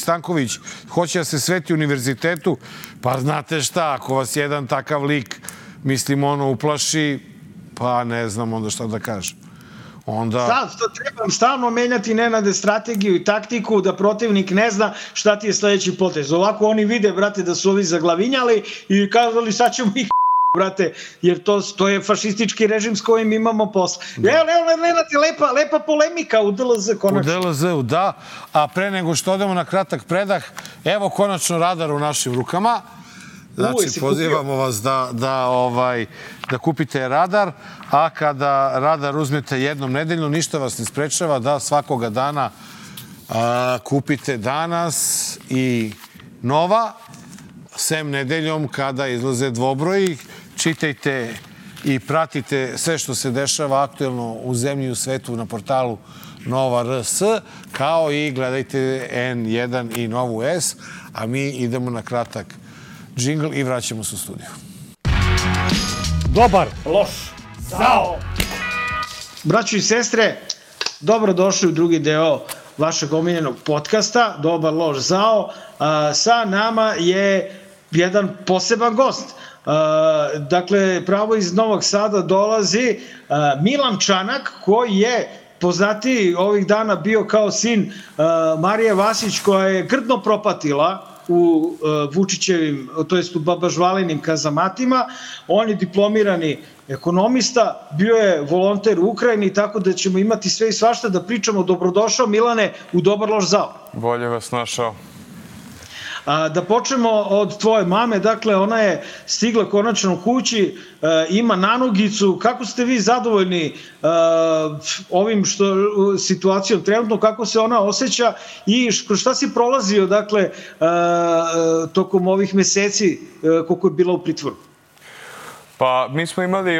Stanković hoće da se sveti univerzitetu, pa znate šta, ako vas jedan takav lik, mislim, uplaši, pa ne znam onda šta da kažem. Sad trebam stalno menjati, Nenade, strategiju i taktiku da protivnik ne zna šta ti je sledeći potez. Ovako oni vide, brate, da su ovi zaglavinjali i kazali sad ćemo ih brate, jer to je fašistički režim s kojim imamo posla. Lepa polemika u DLZ, konačno. U DLZ-u, da. A pre nego što odemo na kratak predah, evo konačno radar u našim rukama. Znači, pozivamo vas da kupite radar, a kada radar uzmete jednom nedeljno, ništa vas ne sprečava da svakoga dana kupite Danas i Nova, sem nedeljom kada izlaze dvobroji. Čitajte i pratite sve što se dešava aktuelno u zemlji i u svetu na portalu Nova RS, kao i gledajte N1 i Novu S, a mi idemo na kratak džingl i vraćamo se u studiju. Dobar, loš, zao! Braćo i sestre, dobrodošli u drugi deo vašeg omiljenog podcasta, Dobar, loš, zao. Sa nama je jedan poseban gost. Dakle, pravo iz Novog Sada dolazi Milan Čanak, koji je poznatiji ovih dana bio kao sin Marije Vasić, koja je grdno propatila u Vučićevim, to jest u Babažvalinim kazamatima. On je diplomirani ekonomista, bio je volonter u Ukrajini, tako da ćemo imati sve i svašta da pričamo. Dobrodošao, Milane, u Dobar, loš, zao. Bolje vas našao. Da počnemo od tvoje mame, dakle ona je stigla konačno kući, ima nanogicu. Kako ste vi zadovoljni ovim situacijom trenutno, kako se ona osjeća i šta si prolazio, dakle, tokom ovih meseci koliko je bila u pritvoru? Pa mi smo imali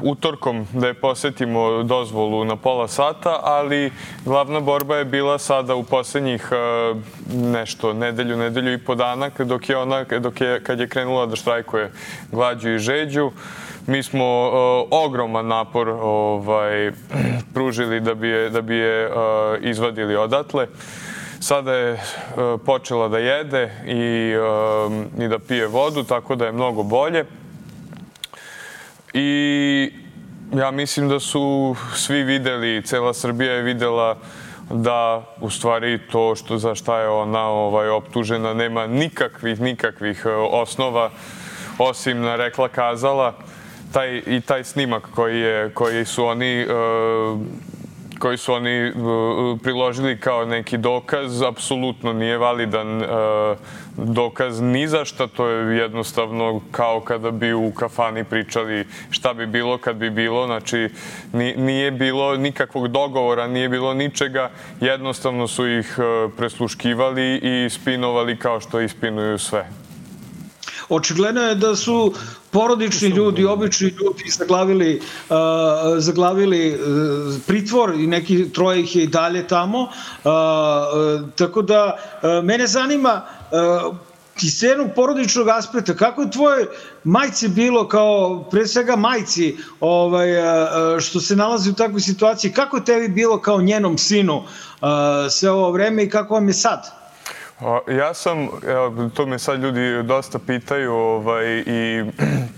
utorkom da je posetimo dozvolu na pola sata, ali glavna borba je bila sada u poslednjih nedelju i po dana, kad je krenula da štrajkuje glađu i žeđu. Mi smo ogroman napor pružili da bi je izvadili odatle. Sada je počela da jede i da pije vodu, tako da je mnogo bolje. I ja mislim da su svi videli, cela Srbija je videla da u stvari to za šta je ona optužena nema nikakvih osnova, osim na rekla kazala. Taj snimak koji su oni priložili kao neki dokaz, apsolutno nije validan dokaz ni za šta. To je jednostavno kao kada bi u kafani pričali šta bi bilo kad bi bilo. Znači, nije bilo nikakvog dogovora, nije bilo ničega. Jednostavno su ih presluškivali i spinovali kao što ispinuju sve. Očigledno je da su porodični ljudi, obični ljudi zaglavili pritvor i neki troje ih je i dalje tamo. Tako da mene zanima iz jednog porodičnog aspekta, kako je tvoje majci bilo, kao pre svega majci što se nalazi u takvoj situaciji, kako je tebi bilo kao njenom sinu sve ovo vreme i kako vam je sad? Ja sam, to me sad ljudi dosta pitaju i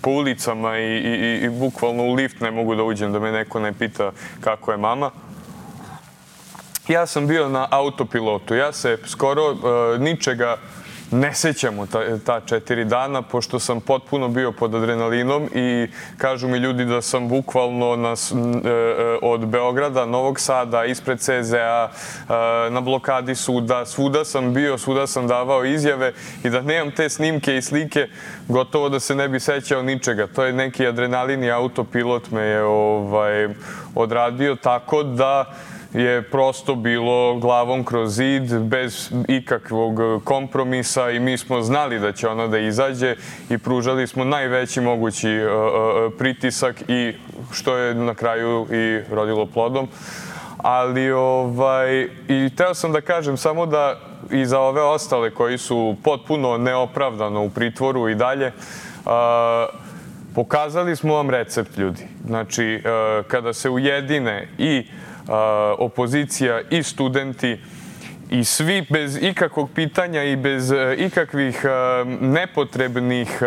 po ulicama i bukvalno u lift ne mogu da uđem da me neko ne pita kako je mama. Ja sam bio na autopilotu, ja se skoro ničega ne sećam u ta 4 dana, pošto sam potpuno bio pod adrenalinom i kažu mi ljudi da sam bukvalno od Beograda, Novog Sada, ispred CZ-a, na blokadi suda, svuda sam bio, svuda sam davao izjave i da nemam te snimke i slike, gotovo da se ne bi sećao ničega. To je neki adrenalin i autopilot me je odradio, tako da je prosto bilo glavom kroz zid, bez ikakvog kompromisa i mi smo znali da će ona da izađe i pružali smo najveći mogući pritisak i što je na kraju i rodilo plodom. Ali i teo sam da kažem samo da i za ove ostale koji su potpuno neopravdano u pritvoru i dalje, pokazali smo vam recept, ljudi. Znači, kada se ujedine i opozicija i studenti i svi bez ikakvog pitanja i bez ikakvih nepotrebnih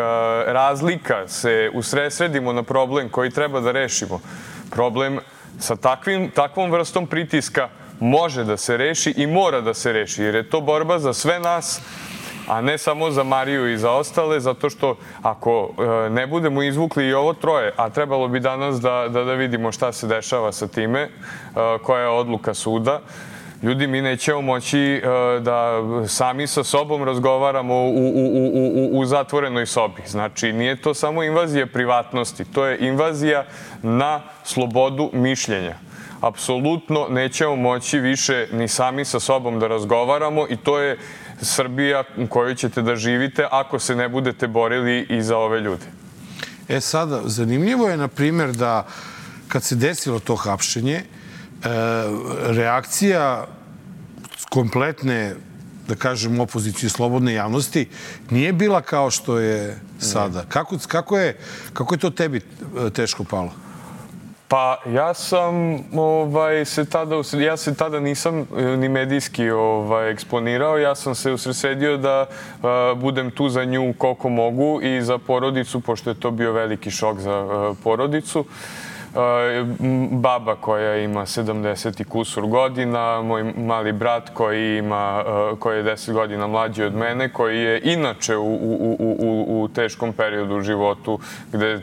razlika se usredsredimo na problem koji treba da rešimo. Problem sa takvom vrstom pritiska može da se reši i mora da se reši, jer je to borba za sve nas, a ne samo za Mariju i za ostale, zato što ako ne budemo izvukli i ovo troje, a trebalo bi danas da vidimo šta se dešava sa time, koja je odluka suda, ljudi, mi nećemo moći da sami sa sobom razgovaramo u zatvorenoj sobi. Znači, nije to samo invazija privatnosti, to je invazija na slobodu mišljenja. Apsolutno nećemo moći više ni sami sa sobom da razgovaramo i to je Srbija u kojoj ćete da živite ako se ne budete borili i za ove ljude. Sada, zanimljivo je, na primjer, da kad se desilo to hapšenje, reakcija kompletne, da kažem, opozicije slobodne javnosti nije bila kao što je sada. Kako je to tebi teško palo? Pa ja se tada nisam ni medijski eksponirao. Ja sam se usredsredio da budem tu za nju koliko mogu i za porodicu, pošto je to bio veliki šok za porodicu. Baba koja ima 70 i kusur godina, moj mali brat koji je 10 godina mlađi od mene, koji je inače u teškom periodu u životu gde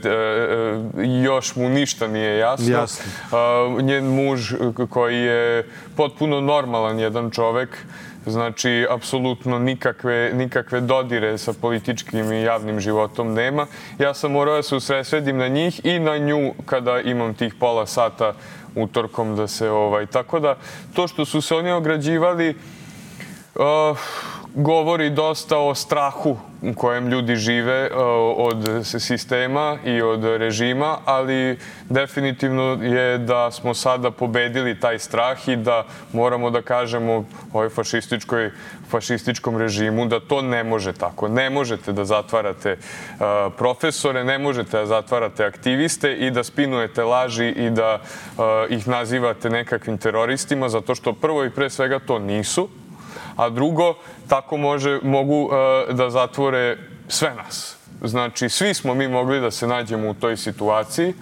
još mu ništa nije jasno. Njen muž koji je potpuno normalan jedan čovek, znači, apsolutno nikakve dodire sa političkim i javnim životom nema. Ja sam morao da se usredsredim na njih i na nju kada imam tih pola sata utorkom da se... Tako da, to što su se oni ograđivali govori dosta o strahu u kojem ljudi žive od sistema i od režima, ali definitivno je da smo sada pobedili taj strah i da moramo da kažemo ovoj fašističkom režimu da to ne može tako. Ne možete da zatvarate profesore, ne možete da zatvarate aktiviste i da spinujete laži i da ih nazivate nekakvim teroristima, zato što prvo i pre svega to nisu, a drugo, tako mogu da zatvore sve nas. Znači, svi smo mi mogli da se nađemo u toj situaciji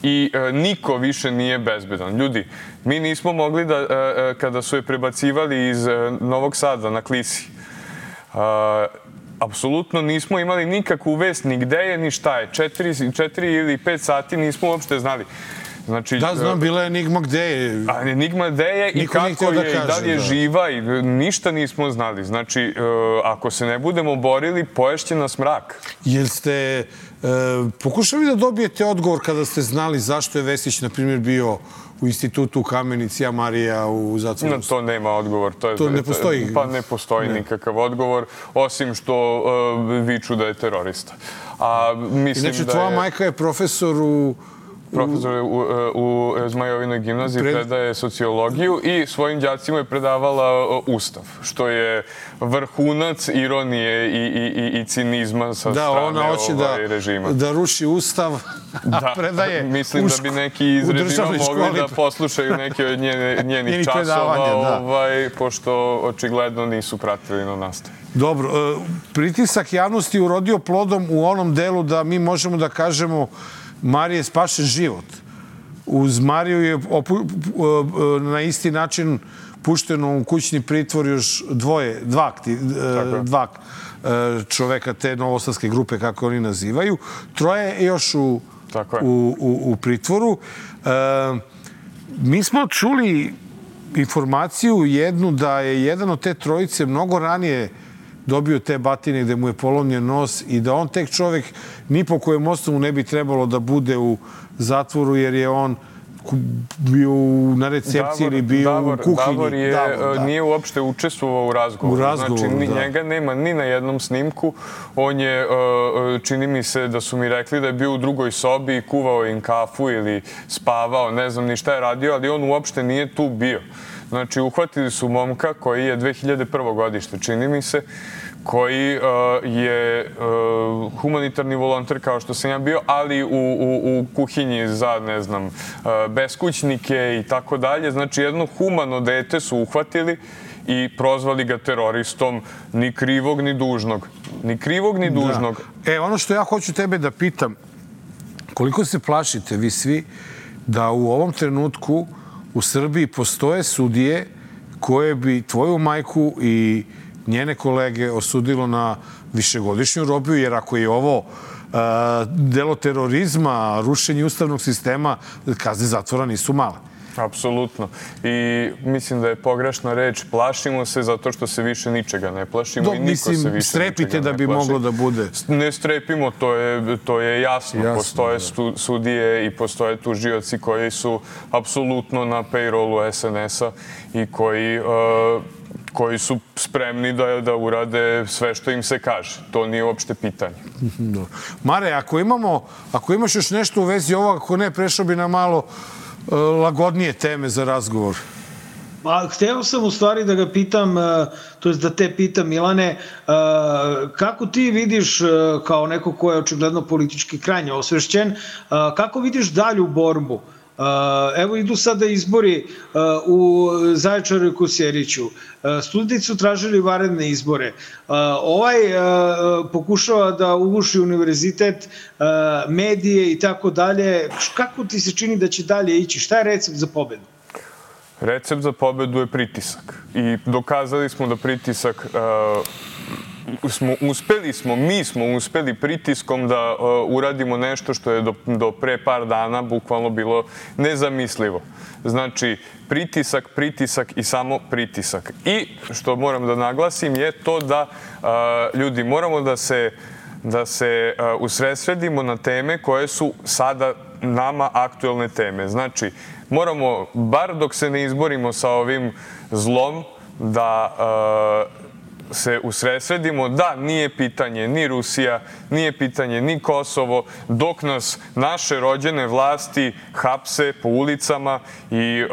i niko više nije bezbedan. Ljudi, mi nismo mogli da, kada su je prebacivali iz Novog Sada na Klisi, apsolutno nismo imali nikakvu vest ni gde je, ni šta je. 4 ili 5 sati nismo uopšte znali. Da, znam, bila je enigma gde je. Enigma gde je i kako je, i da li je živa, i ništa nismo znali. Znači, ako se ne budemo borili, poješće nas mrak. Jel ste pokušali da dobijete odgovor kada ste znali zašto je Vesić, na primjer, bio u institutu u Kamenici, a Marija u zatvoru? Na to nema odgovor. To ne postoji? Pa ne postoji nikakav odgovor, osim što viču da je terorista. Inače, tvoja majka je profesor u Zmajovinoj gimnaziji, predaje sociologiju i svojim đacima je predavala Ustav, što je vrhunac ironije i cinizma sa strane režima. Da ruši Ustav, a predaje mislim da bi neki iz režima mogli da poslušaju neke od njenih časova, pošto očigledno nisu pratili na nastavi. Dobro, pritisak javnosti urodio plodom u onom delu da mi možemo da kažemo Mariji je spašen život. Uz Mariju je na isti način pušteno u kućni pritvor još dva čoveka te novosadske grupe, kako oni nazivaju. Troje je još u pritvoru. Mi smo čuli informaciju jednu da je jedan od te trojice mnogo ranije dobio te batine gde mu je polomljen nos i da on tek čovek ni po kojem osnovu ne bi trebalo da bude u zatvoru jer je on bio na recepciji ili bio u kuhinji. Davor nije uopšte učestvovao u razgovoru. Znači, njega nema ni na jednom snimku. On je, čini mi se da su mi rekli da je bio u drugoj sobi i kuvao im kafu ili spavao, ne znam ni šta je radio, ali on uopšte nije tu bio. Znači, uhvatili su momka koji je 2001. godište, čini mi se, koji je humanitarni volonter kao što sam ja bio, ali u kuhinji za, ne znam, beskućnike i tako dalje. Znači, jedno humano dete su uhvatili i prozvali ga teroristom, ni krivog, ni dužnog. Ni krivog, ni dužnog. Ono što ja hoću tebe da pitam, koliko se plašite vi svi da u ovom trenutku u Srbiji postoje sudije koje bi tvoju majku i njene kolege osudilo na višegodišnju robiju, jer ako je ovo delo terorizma, rušenje ustavnog sistema, kazne zatvora nisu male. Apsolutno. I mislim da je pogrešna reč. Plašimo se zato što se više ničega ne plašimo i niko se više ničega ne plaši. Strepite da bi moglo da bude. Ne strepimo, to je jasno. Postoje sudije i postoje tužioci koji su apsolutno na payrollu SNS-a i koji su spremni da urade sve što im se kaže. To nije uopšte pitanje. Mare, ako imaš još nešto u vezi ovoga, ako ne, prešao bi na malo lagodnije teme za razgovor. Hteo sam u stvari da ga pitam, to jest da te pitam, Milane, kako ti vidiš, kao neko ko je očigledno politički krajnje osvešćen, kako vidiš dalju borbu? Evo idu sada izbori u Zaječaru i Kosjeriću. Studenti su tražili vanredne izbore. Ovaj pokušava da uguši univerzitet, medije i tako dalje. Kako ti se čini da će dalje ići? Šta je recept za pobedu? Recept za pobedu je pritisak. I dokazali smo da pritisak mi smo uspeli pritiskom da uradimo nešto što je do pre par dana bukvalno bilo nezamislivo. Znači, pritisak i samo pritisak. I što moram da naglasim je to da ljudi moramo da se usredsredimo na teme koje su sada nama aktuelne teme. Znači, moramo, bar dok se ne izborimo sa ovim zlom, da se usredsredimo da nije pitanje ni Rusija, nije pitanje ni Kosovo, dok nas naše rođene vlasti hapse po ulicama i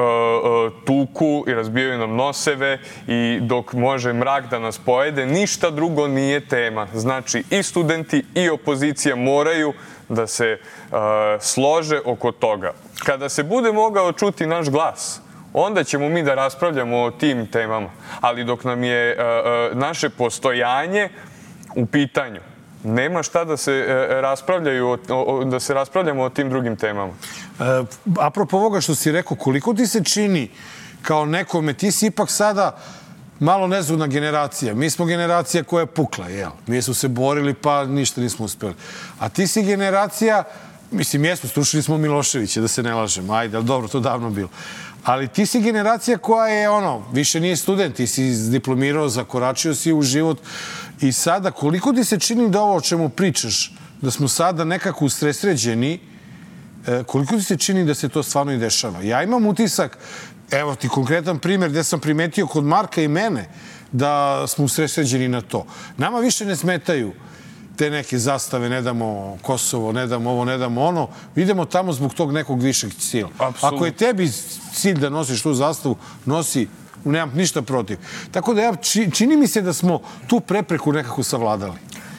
tuku i razbijaju nam noseve i dok može mrak da nas pojede, ništa drugo nije tema. Znači, i studenti i opozicija moraju da se slože oko toga. Kada se bude mogao čuti naš glas, onda ćemo mi da raspravljamo o tim temama. Ali dok nam je naše postojanje u pitanju, nema šta da se raspravljamo o tim drugim temama. Apropo ovoga što si rekao, koliko ti se čini kao nekome, ti si ipak sada malo nezgodna generacija. Mi smo generacija koja je pukla, jel? Mi smo se borili pa ništa nismo uspeli. A ti si generacija, mislim, jesmo, stručili smo Miloševića, da se ne lažemo. Ajde, ali dobro, to davno bilo. Ali ti si generacija koja je, više nije student, ti si diplomirao, zakoračio si u život i sada, koliko ti se čini da ovo o čemu pričaš, da smo sada nekako usresređeni, koliko ti se čini da se to stvarno i dešava? Ja imam utisak, evo ti konkretan primjer gde sam primetio kod Marka i mene, da smo usresređeni na to. Nama više ne smetaju te neke zastave, ne damo Kosovo, ne damo ovo, ne damo ono. Idemo tamo zbog tog nekog višeg cilja. Ako je tebi cilj da nosiš tu zastavu, nosi, nemam ništa protiv. Tako da čini mi se da smo tu prepreku nekako savladali.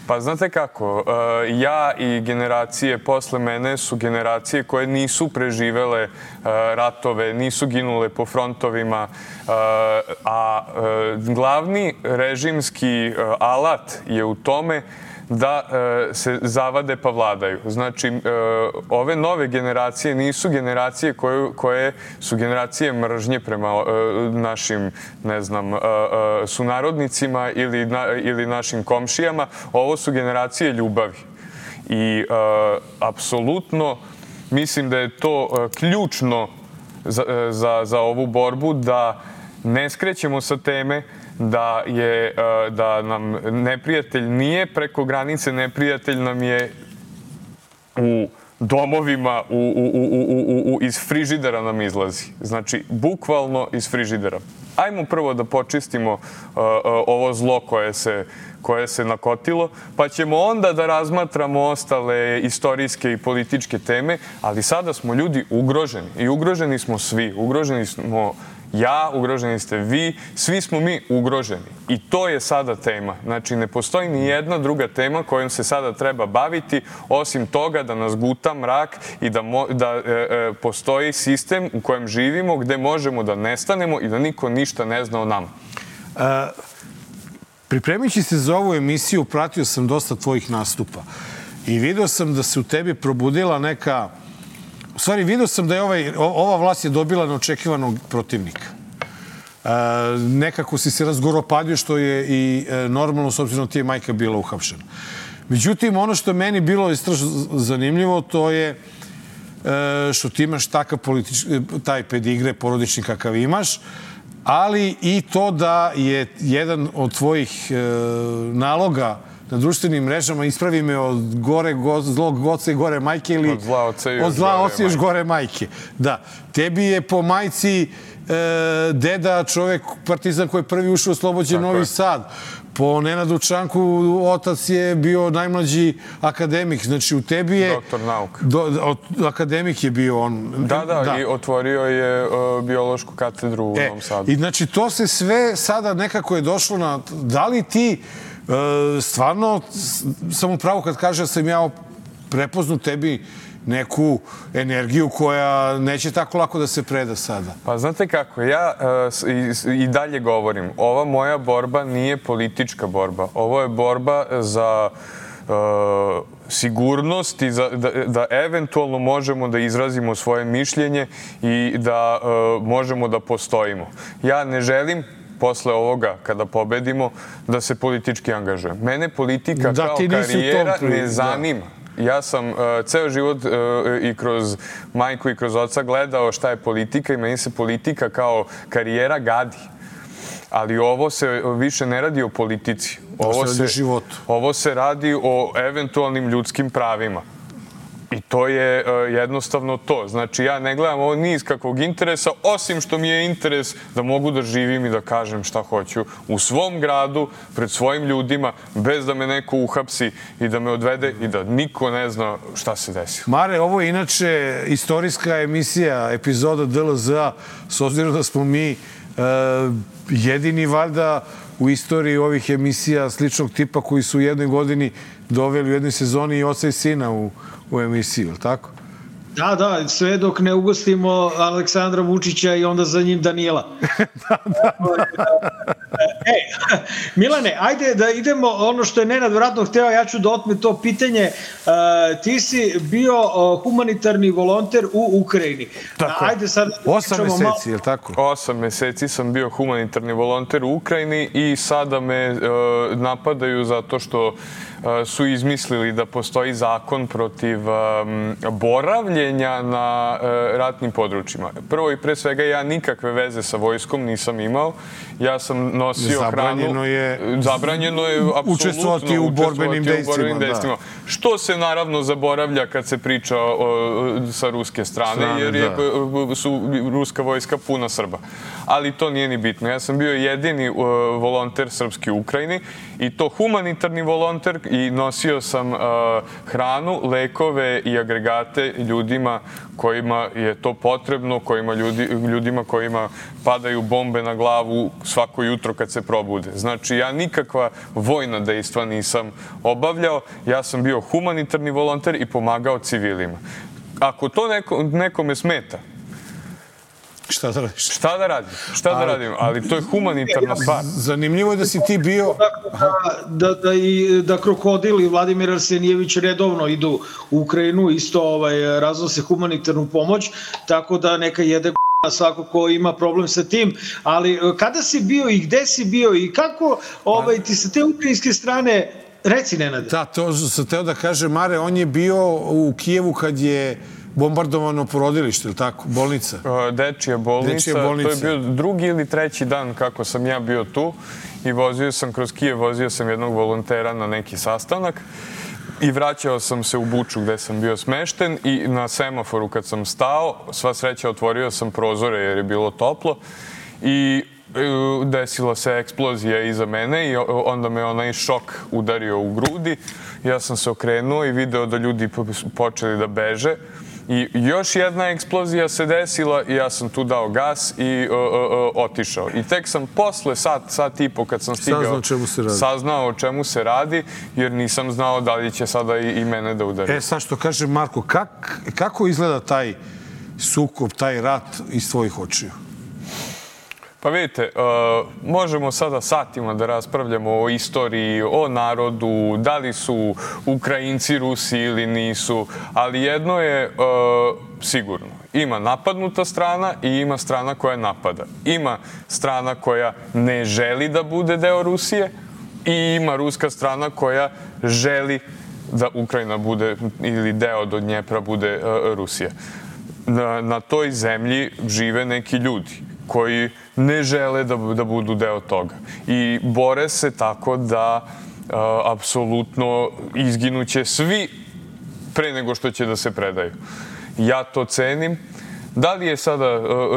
Pa znate kako, ja i generacije posle mene su generacije koje nisu preživele ratove, nisu ginule po frontovima, a glavni režimski alat je u tome da se zavade pa vladaju. Znači, ove nove generacije nisu generacije koje su generacije mržnje prema našim, ne znam, sunarodnicima ili našim komšijama. Ovo su generacije ljubavi. I apsolutno mislim da je to ključno za ovu borbu, da ne skrećemo sa teme, da nam neprijatelj nije preko granice, neprijatelj nam je u domovima, iz frižidera nam izlazi. Znači, bukvalno iz frižidera. Ajmo prvo da počistimo ovo zlo koje se nakotilo, pa ćemo onda da razmatramo ostale istorijske i političke teme, ali sada smo ljudi ugroženi i ugroženi smo svi. Ugroženi smo ja, ugroženi ste vi, svi smo mi ugroženi. I to je sada tema. Znači, ne postoji ni jedna druga tema kojom se sada treba baviti, osim toga da nas guta mrak i da postoji sistem u kojem živimo, gde možemo da nestanemo i da niko ništa ne zna o nama. Pripremajući se za ovu emisiju, pratio sam dosta tvojih nastupa i vidio sam da se u tebi probudila neka... U stvari, vidio sam da je ova vlast je dobila neočekivanog protivnika. nekako si se razgoropadio, što je i normalno, s obzirom da ti je majka bila uhapšena. Međutim, ono što je meni bilo istražno zanimljivo, to je što ti imaš taj pedigre porodični kakav imaš, ali i to da je jedan od tvojih naloga na društvenim mrežama, ispravi me od zlog oca i gore majke ili od zla oca i još gore majke. Da. Tebi je po majci deda čovek partizan koji je prvi ušao u oslobođen Novi Sad. Po Nenadu Čanku otac je bio najmlađi akademik. Znači, u tebi je... Doktor nauka. Akademik je bio on. Da, i otvorio je biološku katedru u Novom Sadu. I znači, to se sve sada nekako je došlo na... Da li ti stvarno, sam upravo kad kaže da sam ja prepoznao tebi neku energiju koja neće tako lako da se preda sada. Pa znate kako, ja i dalje govorim, ova moja borba nije politička borba. Ovo je borba za sigurnost i da eventualno možemo da izrazimo svoje mišljenje i da možemo da postojimo. Ja ne želim posle ovoga, kada pobedimo, da se politički angažujem. Mene politika kao karijera ne zanima. Ja sam ceo život i kroz majku i kroz oca gledao šta je politika i meni se politika kao karijera gadi. Ali ovo se više ne radi o politici. Ovo se radi o eventualnim ljudskim pravima. I to je jednostavno to. Znači, ja ne gledam ovo ni iz kakvog interesa, osim što mi je interes da mogu da živim i da kažem šta hoću u svom gradu, pred svojim ljudima, bez da me neko uhapsi i da me odvede i da niko ne zna šta se desilo. Mare, ovo je inače istorijska emisija, epizoda DLZ-a, s obzirom da smo mi jedini valjda u istoriji ovih emisija sličnog tipa koji su u jednoj godini doveli u jednoj sezoni i oca i sina u emisiju, tako? Da, sve dok ne ugostimo Aleksandra Vučića i onda za njim Danila. Milane, ajde da idemo, ono što je Nenad vratno hteo, ja ću da otmem to pitanje. Ti si bio humanitarni volonter u Ukrajini. Tako, 8 meseci, je li tako? 8 meseci sam bio humanitarni volonter u Ukrajini i sada me napadaju zato što su izmislili da postoji zakon protiv boravljenja na ratnim područjima. Prvo i pre svega, ja nikakve veze sa vojskom nisam imao. Ja sam nosio hranu. Zabranjeno je apsolutno učestvovati u borbenim dejstvima. Što se naravno zaboravlja kad se priča sa ruske strane, jer su ruska vojska puna Srba. Ali to nije ni bitno. Ja sam bio jedini volonter srpski u Ukrajini i to humanitarni volonter i nosio sam hranu, lekove i agregate ljudima kojima je to potrebno, ljudima kojima padaju bombe na glavu svako jutro kad se probude. Znači, ja nikakva vojna dejstva nisam obavljao, ja sam bio humanitarni volonter i pomagao civilima. Ako to nekome smeta, šta da radiš? Šta da radim? Ali to je humanitarna stvar. Zanimljivo je da si ti bio... Da Krokodil i Vladimir Arsenijević redovno idu u Ukrajinu, isto raznose humanitarnu pomoć, tako da neka jede svako ko ima problem sa tim. Ali kada si bio i gde si bio i kako ti sa te ukrajinske strane... Reci, Nenade. Da, to sam teo da kaže, Mare, on je bio u Kijevu kad je bombardovano porodilište, ili tako? Bolnica? Dečija bolnica. To je bio drugi ili treći dan kako sam ja bio tu i vozio sam kroz Kijev, vozio sam jednog volontera na neki sastanak i vraćao sam se u Buču gde sam bio smešten i na semaforu kad sam stao, sva sreća otvorio sam prozore jer je bilo toplo i desila se eksplozija iza mene i onda me onaj šok udario u grudi. Ja sam se okrenuo i video da ljudi počeli da beže. I još jedna eksplozija se desila i ja sam tu dao gas i otišao. I tek sam posle sat i po kad sam stigao saznao o čemu se radi, jer nisam znao da li će sada i mene da udari. Sad što kaže Marko, kako izgleda taj sukob, taj rat iz tvojih očiju? Pa vidite, možemo sada satima da raspravljamo o istoriji, o narodu, da li su Ukrajinci Rusi ili nisu, ali jedno je sigurno. Ima napadnuta strana i ima strana koja napada. Ima strana koja ne želi da bude deo Rusije i ima ruska strana koja želi da Ukrajina bude ili deo do Dnjepra bude Rusija. Na toj zemlji žive neki ljudi koji ne žele da budu deo toga i bore se tako da apsolutno izginuće svi pre nego što će da se predaju. Ja to cenim. Da li je sada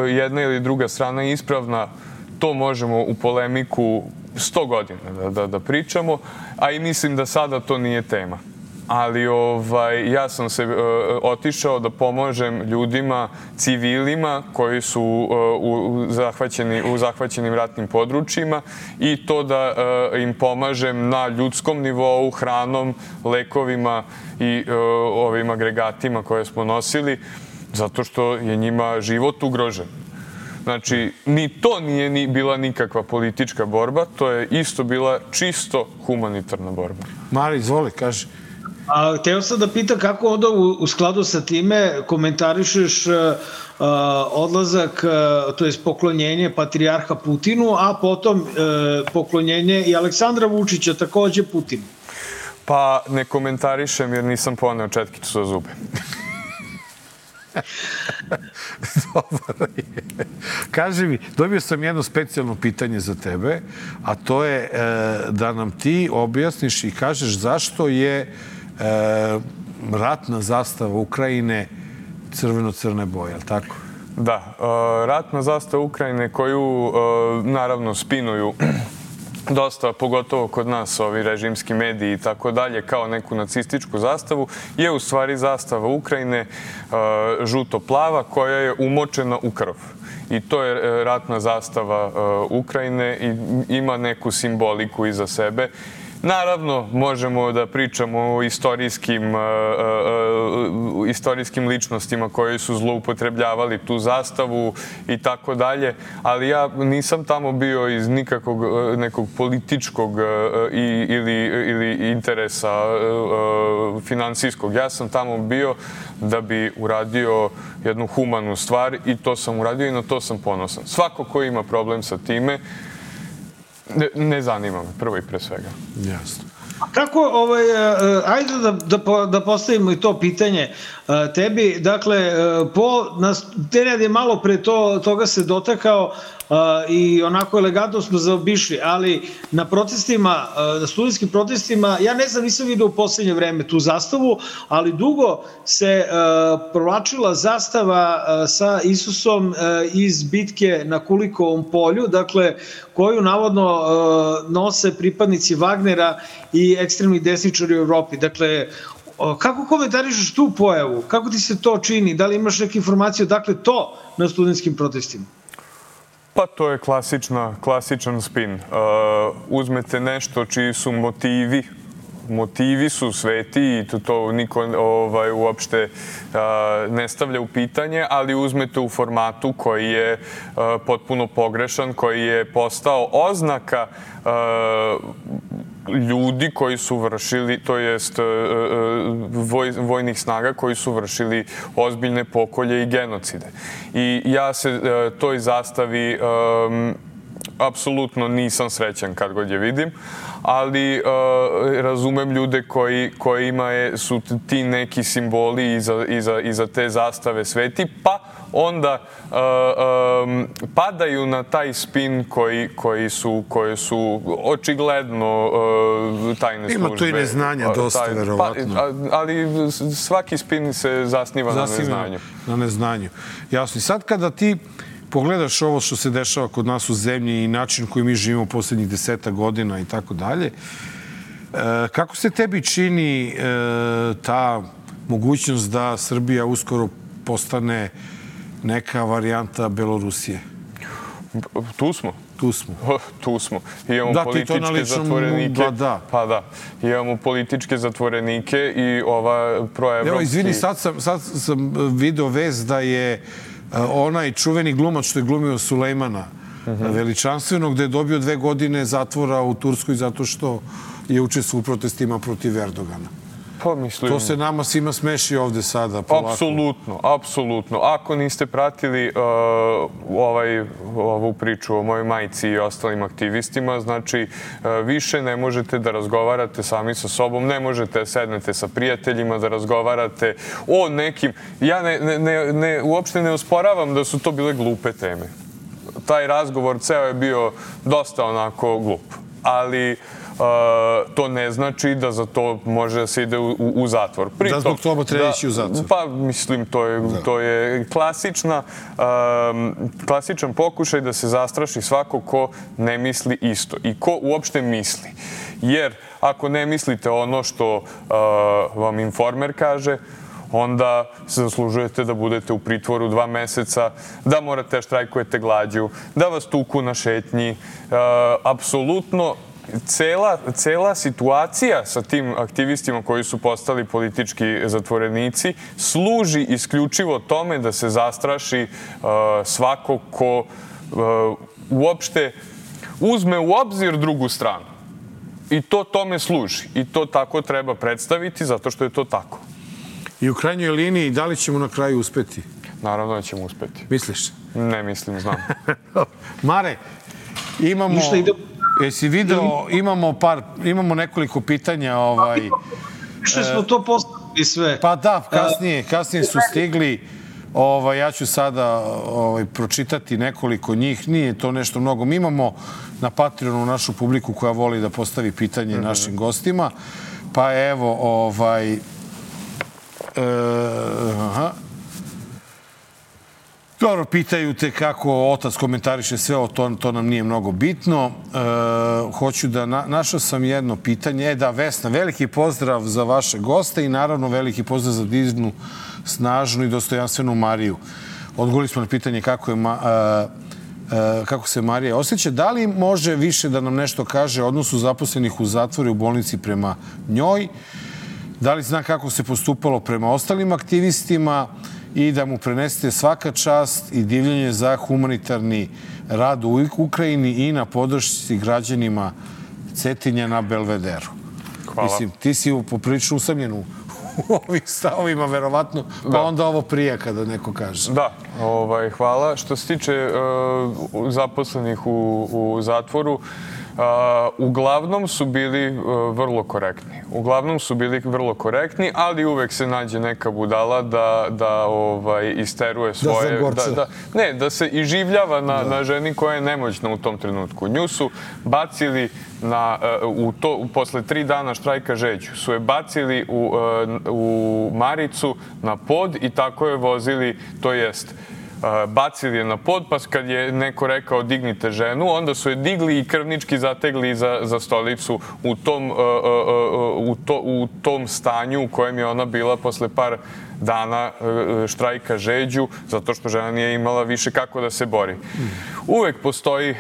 jedna ili druga strana ispravna, to možemo u polemiku 100 godina da pričamo, a i mislim da sada to nije tema. Ali ja sam se otišao da pomožem ljudima, civilima koji su u zahvaćenim ratnim područjima i to da im pomažem na ljudskom nivou, hranom, lekovima i ovim agregatima koje smo nosili, zato što je njima život ugrožen. Znači, ni to nije bila nikakva politička borba, to je isto bila čisto humanitarna borba. Mari, izvoli, kaži. Hteo sam da pitam kako onda u skladu sa time komentarišeš odlazak, to je poklonjenje patrijarha Putinu, a potom poklonjenje i Aleksandra Vučića takođe Putinu. Pa ne komentarišem jer nisam poneo četkicu za zube. Dobar je. Kaži mi, dobio sam jedno specijalno pitanje za tebe, a to je da nam ti objasniš i kažeš zašto je ratna zastava Ukrajine crveno-crne boje, ali tako? Da, ratna zastava Ukrajine koju naravno spinuju dosta, pogotovo kod nas, ovi režimski mediji i tako dalje, kao neku nacističku zastavu, je u stvari zastava Ukrajine žuto-plava koja je umočena u krv. I to je ratna zastava Ukrajine i ima neku simboliku iza sebe. Naravno, možemo da pričamo o istorijskim ličnostima koji su zloupotrebljavali tu zastavu i tako dalje, ali ja nisam tamo bio iz nikakvog nekog političkog ili interesa finansijskog. Ja sam tamo bio da bi uradio jednu humanu stvar i to sam uradio i na to sam ponosan. Svako ko ima problem sa time, ne zanima me, prvo i pre svega. Jasno. Kako, ajde da postavimo i to pitanje tebi. Dakle, Nenad je malo pre toga se dotakao i onako elegantno smo zaobišli, ali na protestima, na studentskim protestima, ja ne znam, nisam vidio u poslednje vreme tu zastavu, ali dugo se provlačila zastava sa Isusom iz bitke na Kulikovom polju, dakle, koju navodno nose pripadnici Wagnera i ekstremni desničari u Evropi. Dakle, kako komentarišeš tu pojavu? Kako ti se to čini? Da li imaš neke informacije odakle to na studentskim protestima? Pa to je klasičan spin. Uzmete nešto čiji su motivi su sveti i to niko uopšte ne stavlja u pitanje, ali uzmete u formatu koji je potpuno pogrešan, koji je postao oznaka ljudi koji su vršili, to jest vojnih snaga koji su vršili ozbiljne pokolje i genocide. I ja se toj zastavi apsolutno nisam srećan kad god je vidim, ali razumem ljude kojima su ti neki simboli iza te zastave sveti, pa onda padaju na taj spin koji su očigledno tajne službe. Ima tu i neznanja dosta, verovatno. Ali svaki spin se zasniva na neznanju. Na neznanju. Jasno. I sad kada ti pogledaš ovo što se dešava kod nas u zemlji i način koji mi živimo poslednjih 10 godina i tako dalje, kako se tebi čini ta mogućnost da Srbija uskoro postane neka varijanta Belorusije? Tu smo. Tu smo. Imamo političke zatvorenike. Pa da. Imamo političke zatvorenike i ova proevropski... Evo, izvini, sad sam video vest da je onaj čuveni glumac što je glumio Sulejmana Veličanstvenog, gde je dobio 2 godine zatvora u Turskoj zato što je učestvovao u protestima protiv Erdogana. Pa mislim... To se nama svima smeši ovde sada, polako. Apsolutno, apsolutno. Ako niste pratili ovu priču o mojoj majci i ostalim aktivistima, znači više ne možete da razgovarate sami sa sobom, ne možete da sednete sa prijateljima, da razgovarate o nekim... Ja uopšte ne osporavam da su to bile glupe teme. Taj razgovor ceo je bio dosta onako glup, ali to ne znači da za to može da se ide u zatvor. Da zbog toga treba ići u zatvor? Pa, mislim, to je klasičan pokušaj da se zastraši svako ko ne misli isto i ko uopšte misli. Jer ako ne mislite ono što vam Informer kaže, onda se zaslužujete da budete u pritvoru 2 meseca, da morate da štrajkujete glađu, da vas tuku na šetnji. Apsolutno, cela situacija sa tim aktivistima koji su postali politički zatvorenici služi isključivo tome da se zastraši svako ko uopšte uzme u obzir drugu stranu. I to tome služi. I to tako treba predstaviti zato što je to tako. I u krajnjoj liniji, da li ćemo na kraju uspeti? Naravno da ćemo uspeti. Misliš? Ne mislim, znam. Mare, imamo... Jesi video, imamo nekoliko pitanja. Što smo to postavili sve. Pa da, kasnije su stigli. Ja ću sada pročitati nekoliko njih. Nije to nešto mnogo. Mi imamo na Patreonu našu publiku koja voli da postavi pitanje našim gostima. Pa evo, dobro, pitaju te kako otac komentariše sve o tom, to nam nije mnogo bitno. Hoću da, našao sam jedno pitanje. Da, Vesna, veliki pozdrav za vaše goste i naravno veliki pozdrav za divnu, snažnu i dostojanstvenu Mariju. Odgovorili smo na pitanje kako se Marija osjeća. Da li može više da nam nešto kaže o odnosu zaposlenih u zatvoru i u bolnici prema njoj? Da li zna kako se postupalo prema ostalim aktivistima i da mu prenesete svaka čast i divljenje za humanitarni rad u Ukrajini i na podršci građanima Cetinja na Belvederu. Hvala. Mislim, ti si poprilično usamljen u ovim stavovima, verovatno, pa onda ovo prija kada neko kaže. Da, hvala. Što se tiče zaposlenih u zatvoru, uglavnom su bili vrlo korektni. Ali uvek se nađe neka budala da isteruje svoje... Da se iživljava na ženi koja je nemoćna u tom trenutku. Nju su bacili posle 3 dana štrajka žeđu, su je bacili u Maricu na pod i tako je vozili, to jest bacili je na pod, pa kad je neko rekao dignite ženu, onda su je digli i krvnički zategli za stolicu u tom stanju u kojem je ona bila posle par dana štrajka žeđu, zato što žena nije imala više kako da se bori. Uvek postoji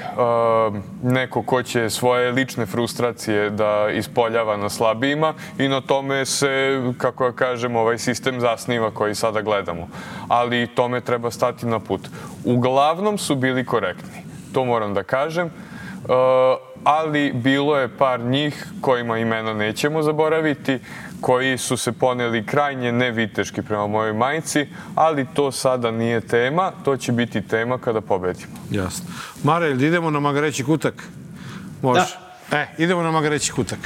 neko ko će svoje lične frustracije da ispoljava na slabijima i na tome se, kako ja kažem, ovaj sistem zasniva koji sada gledamo. Ali tome treba stati na put. Uglavnom su bili korektni, to moram da kažem, ali bilo je par njih kojima imena nećemo zaboraviti, koji su se poneli krajnje neviteški prema mojoj majci, ali to sada nije tema, to će biti tema kada pobedimo. Jasno. Mare, idemo na Magareći kutak? Može. Idemo na Magareći kutak.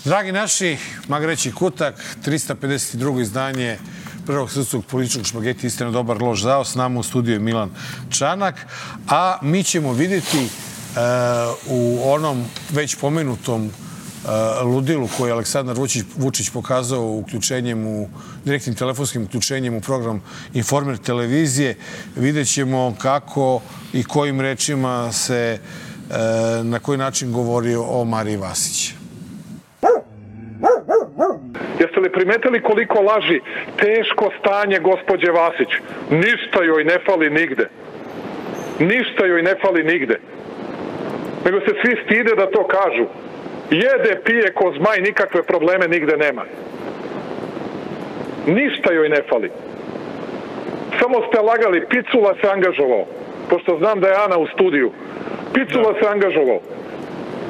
Dragi naši, Magareći kutak, 352. izdanje prvog srpskog političkog špageti Istina, dobar, loš, zao. S nama u studiju je Milan Čanak, a mi ćemo vidjeti u onom već pomenutom ludilu koji je Aleksandar Vučić pokazao direktnim telefonskim uključenjem u program Informer televizije. Vidjet ćemo kako i kojim rečima se na koji način govori o Mariji Vasić. Jeste li primetili koliko laži? Teško stanje gospođe Vasić. Ništa joj ne fali nigde. Ništa joj ne fali nigde. Nego se svi stide da to kažu. Jede, pije ko zmaj, nikakve probleme nigde nema. Ništa joj ne fali. Samo ste lagali, Picula se angažovao. Pošto znam da je Ana u studiju. Picula se angažovao.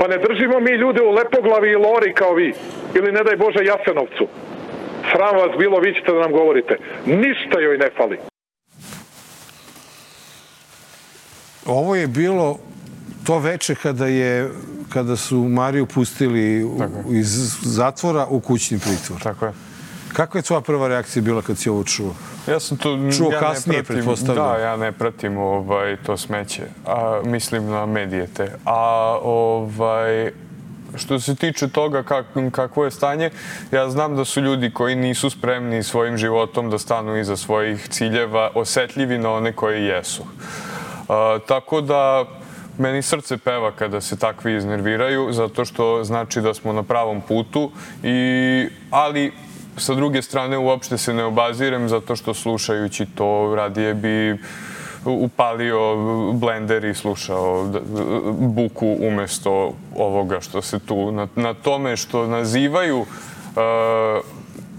Pa ne držimo mi ljude u Lepoglavi i Lori kao vi. Ili ne daj Bože Jasenovcu. Sram vas bilo, vi ćete da nam govorite. Ništa joj ne fali. Ovo je bilo to veče kada su Mariju pustili iz zatvora u kućni pritvor. Tako je. Kakva je tvoja prva reakcija bila kad si ovo čuo? Ja sam to kasnije, pretpostavljam. Da, ja ne pratim to smeće. Mislim na medije te. Što se tiče toga kakvo je stanje, ja znam da su ljudi koji nisu spremni svojim životom da stanu iza svojih ciljeva osetljivi na one koji jesu. Tako da meni srce peva kada se takvi iznerviraju, zato što znači da smo na pravom putu, ali sa druge strane uopšte se ne obazirem zato što slušajući to radije bi upalio blender i slušao buku umesto ovoga što se tu na tome što nazivaju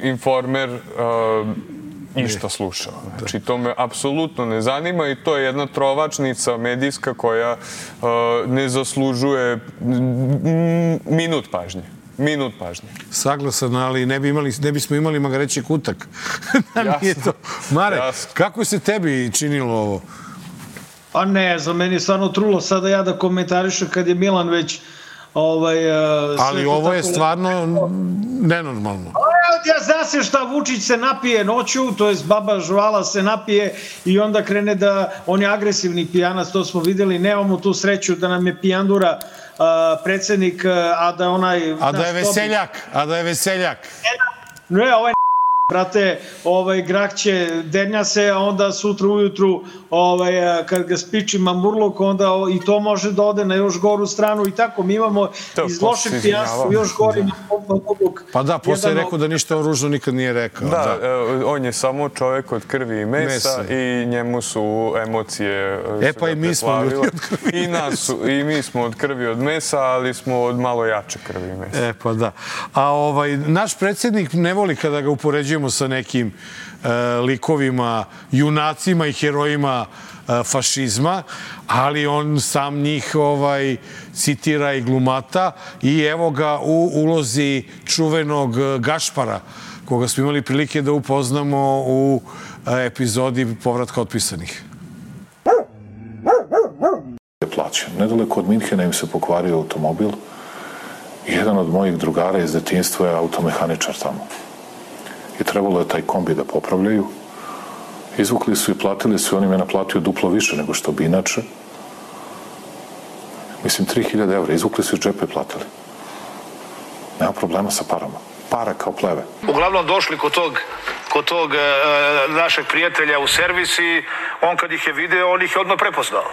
Informer išta slušao. Znači, to me apsolutno ne zanima i to je jedna trovačnica medijska koja ne zaslužuje minut pažnje. Minut pažnje. Saglasan, ali ne bismo imali magareći kutak. Mare, kako se tebi činilo ovo? Pa ne, za meni je stvarno trulo sada ja da komentarišem kad je Milan već ali ovo je stvarno nenormalno. Ja zna se šta, Vučić se napije noću, to je baba žvala se napije i onda krene da, on je agresivni pijanac, to smo videli, nemamo tu sreću da nam je pijandura predsjednik, a da onaj... A da je veseljak. Ne, ovaj brate, grah će dernja se, a onda sutra ujutru kad ga spiči mamurluk, onda i to može da ode na još goru stranu i tako. Mi imamo iz lošeg pijanstva još gori mamurluk. Pa da, posle je rekao da ništa o ružno nikad nije rekao. Da, on je samo čovjek od krvi i mesa i njemu su emocije... pa i mi smo ljudi od krvi i mesa. I mi smo od krvi od mesa, ali smo od malo jače krvi i mesa. Pa da. A naš predsjednik ne voli kada ga upoređujemo sa nekim likovima, junacima i herojima fašizma, ali on sam njih citira i glumata i evo ga u ulozi čuvenog Gašpara, koga smo imali prilike da upoznamo u epizodi Povratka otpisanih. Nedaleko od Minhena im se pokvario automobil i jedan od mojih drugara iz detinjstva je automehaničar tamo. I trebalo je taj kombi da popravljaju. Izvukli su i platili su, on im je naplatio duplo više nego što bi inače. Mislim, 3000 evra. Izvukli su iz džepa i platili. Nema problema sa parama. Para kao pleve. Uglavnom došli kod tog našeg prijatelja u servis i on kad ih je video, on ih je odmah prepoznao.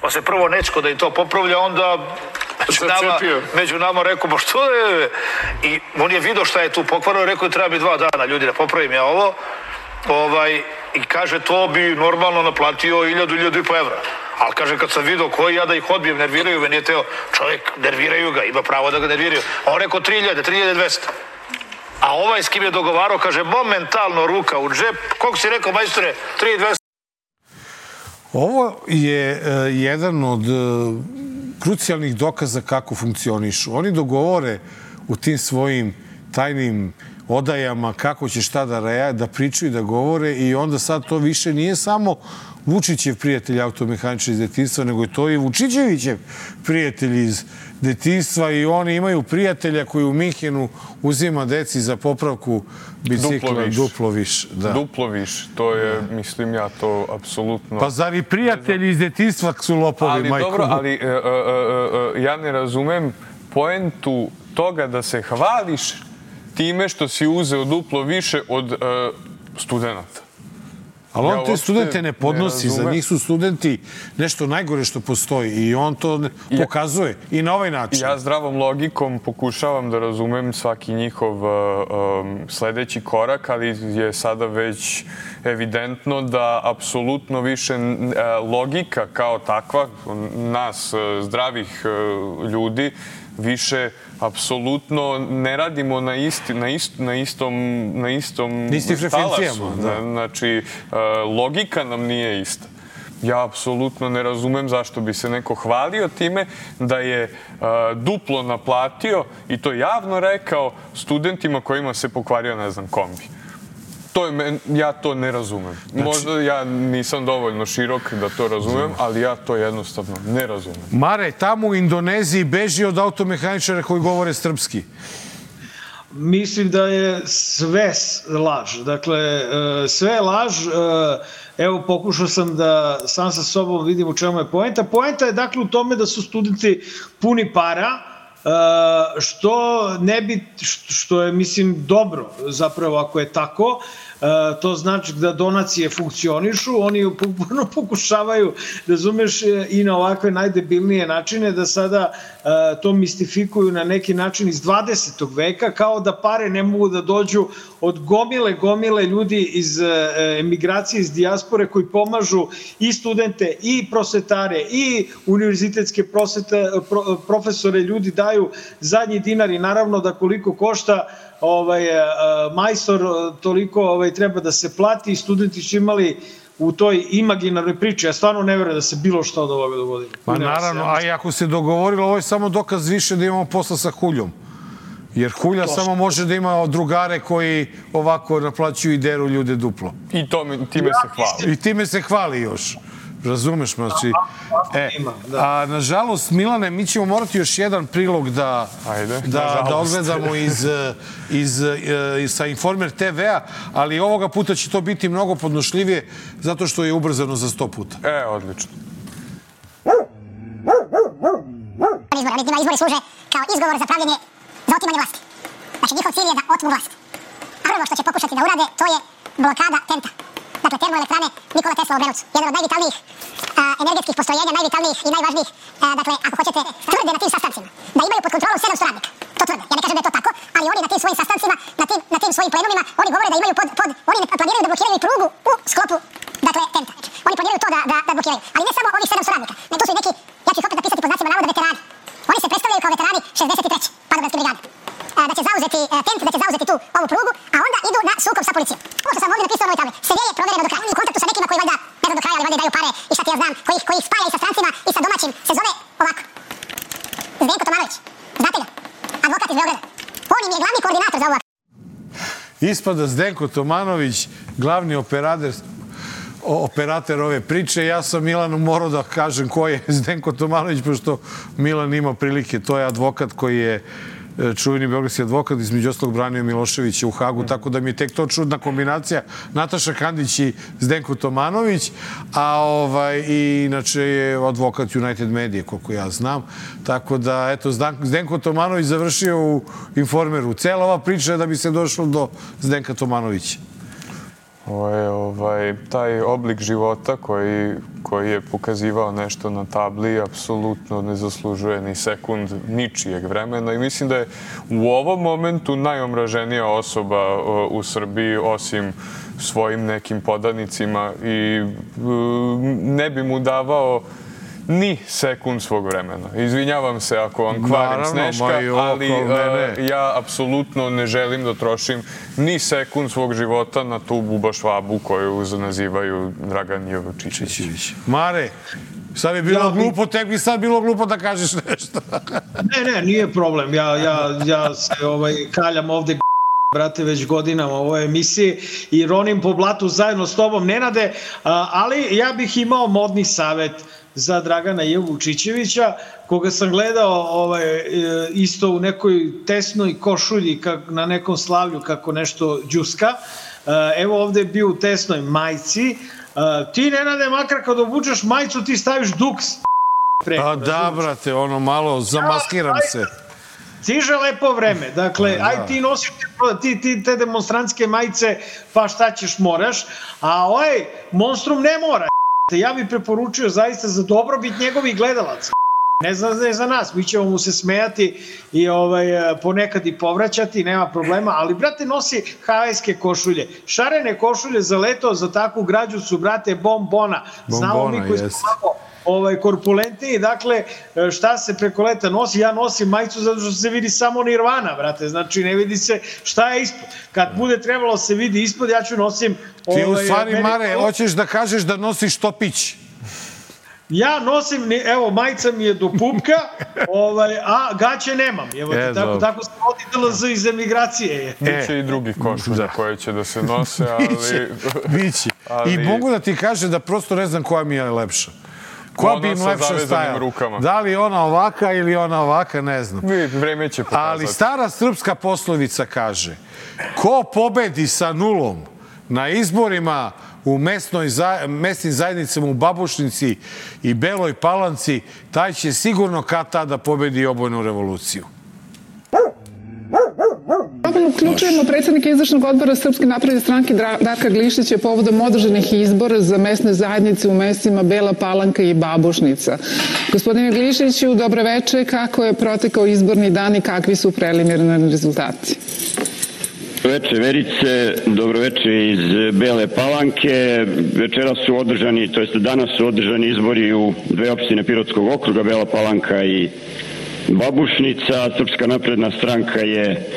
Pa se prvo nečko da im to popravlja, onda među nama rekao, što je? I on je vidio šta je tu pokvarno, rekao je treba mi 2 dana ljudi da popravim ja ovo. I kaže to bi normalno naplatio 1000-1500 evra. Ali kaže kad sam vidio koji ja da ih odbijem, nerviraju me, nije teo čovjek, nerviraju ga, ima pravo da ga nerviraju. A on rekao 3200. A ovaj s kim je dogovarao, kaže momentalno ruka u džep. Koliko si rekao, majstore? 3200. Ovo je jedan od krucijalnih dokaza kako funkcionišu. Oni dogovore u tim svojim tajnim odajama kako će šta da pričaju, da govore i onda sad to više nije samo Vučićev prijatelj automehaničar iz detinjstva, nego je to i Vučićevićev prijatelj iz detinjstva i oni imaju prijatelja koji u Minhenu uzima deci za popravku bicikla duplo više. Duplo više. To je, mislim ja, to apsolutno... Pa zar i prijatelji iz detinjstva su lopovi, majko? Dobro, ali ja ne razumem poentu toga da se hvališ time što si uzeo duplo više od studenta. Ali on te studente ne podnosi, za njih su studenti nešto najgore što postoji i on to pokazuje i na ovaj način. Ja zdravom logikom pokušavam da razumem svaki njihov sledeći korak, ali je sada već evidentno da apsolutno više logika kao takva, nas zdravih ljudi, više apsolutno ne radimo na istom frekvencijama. Znači, logika nam nije ista. Ja apsolutno ne razumem zašto bi se neko hvalio time da je duplo naplatio i to javno rekao studentima kojima se pokvario, ne znam, kombi. Ja to ne razumem. Možda ja nisam dovoljno širok da to razumem, ali ja to jednostavno ne razumem. Mare, tamo u Indoneziji beži od automehaničara koji govore srpski. Mislim da je sve laž. Dakle, sve je laž. Evo, pokušao sam da sam sa sobom vidim u čemu je poenta. Poenta je dakle u tome da su studenti puni para, što je, mislim, dobro zapravo ako je tako. To znači da donacije funkcionišu, oni uporno pokušavaju, razumeš, i na ovakve najdebilnije načine da sada to mistifikuju na neki način iz 20. veka, kao da pare ne mogu da dođu od gomile ljudi iz emigracije, iz dijaspore koji pomažu i studente i prosvetare i univerzitetske profesore, ljudi daju zadnji dinar i naravno da koliko košta majstor, toliko treba da se plati i studenti su imali u toj imaginarnoj priči. Ja stvarno ne verujem da se bilo što od ovoga dogodilo. Pa naravno, a i ako se dogovorilo, ovo je samo dokaz više da imamo posla sa Huljom. Jer Hulja samo može da ima drugare koji ovako naplaćuju i deru ljude duplo. I time se hvali. I time se hvali još. Razumeš, znači. Nažalost, Milane, mi ćemo morati još jedan prilog da odgledamo sa Informer TV-a, ali ovoga puta će to biti mnogo podnošljivije zato što je ubrzano za 100 puta. Odlično. Izbori služe kao izgovor za pravljenje, za otimanje vlasti. Znači, njihov cilj je da otmu vlast. Prvo što će pokušati da urade, to je blokada TENT-a. Dakle, termoelektrane Nikola Tesla u Obrenovcu. Jedan od najvitalnijih energetskih postrojenja, najvitalnijih i najvažnijih, dakle, ako hoćete, tvrde na tim sastancima da imaju pod kontrolom 700 radnika. To tvrde. Ja ne kažem da je to tako, ali oni na tim svojim sastancima, na tim svojim plenumima, oni govore da imaju oni planiraju da blokiraju i prugu u sklopu, dakle, TENT-a. Oni planiraju to da blokiraju. Ali ne samo ovih 700 radnika, ne, to su i neki, ja ću ih opet napisati pod znacima navoda, veterani. Oni se predstavljaju kao veterani 63. padobranske brigade. Da će zauzeti TENT, da će zauzeti tu ovu prugu, a onda idu na sukob sa policijom. Ovo što sam ovdje napisao na ovoj tabli, sve je provereno do kraja. Oni u kontaktu sa nekima koji valjda, ne znam do kraja, ali valjda daju pare i šta ti ja znam, koji ih spaja i sa strancima i sa domaćim. Se zove ovako. Zdenko Tomanović. Znate ga? Advokat iz Beograda. On im je glavni koordinator za ovu akciju. Ispada Zdenko Tomanović, glavni operator ove priče. Ja sam Milanu morao da kažem ko je Zdenko Tomanović, pošto Milan ima prilike. To je advokat koji je čuveni beogradski advokat, između ostalog branio Miloševića u Hagu, tako da mi je tek to čudna kombinacija. Nataša Kandić i Zdenko Tomanović, a inače je advokat United Media, koliko ja znam. Tako da, eto, Zdenko Tomanović završio u Informeru. Cela ova priča je da bi se došlo do Zdenka Tomanovića. Taj oblik života koji je pokazivao nešto na tabli apsolutno ne zaslužuje ni sekund ničijeg vremena i mislim da je u ovom momentu najomraženija osoba u Srbiji osim svojim nekim podanicima i ne bi mu davao ni sekund svog vremena. Izvinjavam se ako vam kvarim Sneška, ali ja apsolutno ne želim da trošim ni sekund svog života na tu bubašvabu koju nazivaju Dragan Jovičićević. Mare, sad je bilo glupo, tek bi sad bilo glupo da kažeš nešto. Ne, nije problem. Ja se kaljam ovde brate, već godinama u ovoj emisiji i ronim po blatu zajedno s tobom, Nenade, ali ja bih imao modni savet za Dragana Jevučićevića, koga sam gledao isto u nekoj tesnoj košulji na nekom slavlju kako nešto džuska. Evo ovde je bio u tesnoj majci. Ti, Nenade, makar kad obučeš majicu ti staviš duks. Pa da, brate, ono malo zamaskiram se. Stiže lepo vreme. Dakle, aj ti nosiš te demonstrantske majice, pa šta ćeš, moraš. A Monstrum ne mora. Ja bih preporučio zaista za dobrobit njegovih gledalaca. Ne za nas, mi ćemo mu se smejati i ponekad i povraćati, nema problema, ali brate nosi havajske košulje. Šarene košulje za leto, za takvu građu su, brate, bombona. Znamo mi koji smo korpulentniji, dakle, šta se preko leta nosi? Ja nosim majicu zato što se vidi samo nirvana, brate, znači ne vidi se šta je ispod. Kad bude trebalo se vidi ispod, ja ću nosim... Ti u stvari, Mare, hoćeš da kažeš da nosiš topić? Ja nosim, evo, majica mi je do pupka, a gaće nemam. Evo, tako se vodi DLZ iz emigracije. Biće i drugi košulja koje će da se nose, ali... Biće. I mogu da ti kažem da prosto ne znam koja mi je lepša. Koja bi im lepša stajala? Da li ona ovaka ili ona ovaka, ne znam. Vreme će pokazati. Ali stara srpska poslovica kaže, ko pobedi sa nulom na izborima u mesnim zajednicama u Babušnici i Beloj Palanci, taj će sigurno kad tada pobedi obojnu revoluciju. Uključujemo predsjednika izvršnog odbora Srpske napredne stranke Darka Glišića povodom održanih izbora za mesne zajednice u mestima Bela Palanka i Babušnica. Gospodine Glišiću, dobro veče. Kako je protekao izborni dan i kakvi su preliminarni rezultati? Dobroveče Verice, dobroveče iz Bele Palanke. Večera su održani, to jest danas su održani izbori u dve opštine Pirotskog okruga, Bela Palanka i Babušnica. Srpska napredna stranka je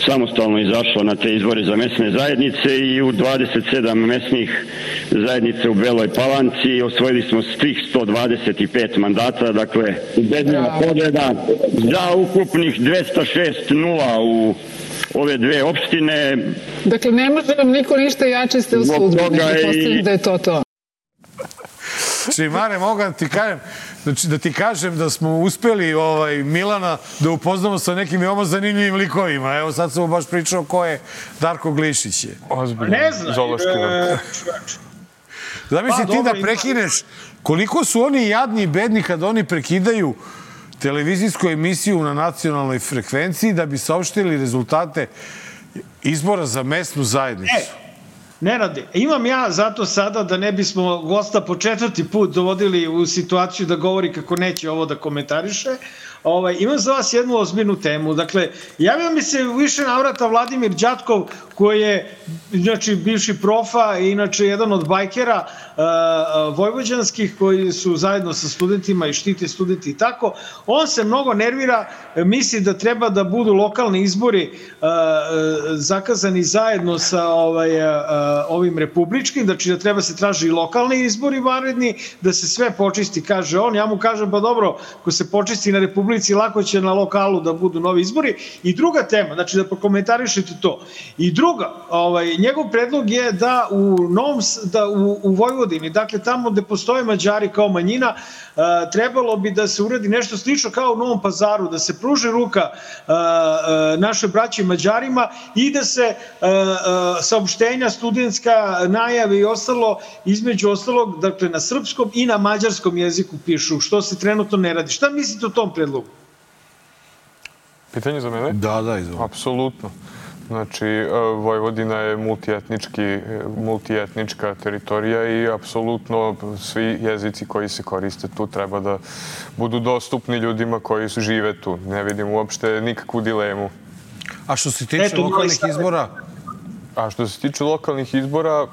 samostalno izašla na te izbore za mesne zajednice i u 27 mesnih zajednica u Beloj Palanci osvojili smo svih 125 mandata, dakle ubedljiva pobjeda za ukupnih 206-0 u ove dve opštine. Dakle, ne može vam niko ništa, jače ste u sudbi. Postavljam da je to. Mare, mogu da ti kažem da smo uspeli Milana da upoznamo sa nekim veoma zanimljivim likovima. Evo, sad sam mu baš pričao ko je Darko Glišić. Ne znam. Zamisli ti da prekineš koliko su oni jadni i bedni kada oni prekidaju televizijsku emisiju na nacionalnoj frekvenciji da bi saopštili rezultate izbora za mesnu zajednicu. Nenade, imam ja zato sada da ne bismo gosta po 4. put dovodili u situaciju da govori kako neće ovo da komentariše. Imam za vas jednu ozbiljnu temu. Dakle, javio mi se više navrata Vladimir Đatkov, koji je inače bivši profa i inače jedan od bajkera vojvođanskih koji su zajedno sa studentima i štite studenti i tako. On se mnogo nervira, misli da treba da budu lokalni izbori zakazani zajedno sa ovim republičkim, znači da treba se traži i lokalni izbori vanredni, da se sve počisti, kaže on. Ja mu kažem, pa dobro, ko se počisti na republici, lako će na lokalu da budu novi izbori. I druga tema, znači da prokomentarišete to. I druga, njegov predlog je da u Vojvodini, dakle tamo gde postoje Mađari kao manjina, trebalo bi da se uradi nešto slično kao u Novom Pazaru, da se pruži ruka naše braći Mađarima i da se saopštenja studentska, najave i ostalo, između ostalog, dakle na srpskom i na mađarskom jeziku pišu, što se trenutno ne radi. Šta mislite o tom predlogu? Pitanje za mene? Da, izvoli. Apsolutno. Znači, Vojvodina je multietnička teritorija i apsolutno svi jezici koji se koriste tu treba da budu dostupni ljudima koji žive tu. Ne vidim uopšte nikakvu dilemu. A što se tiče lokalnih izbora?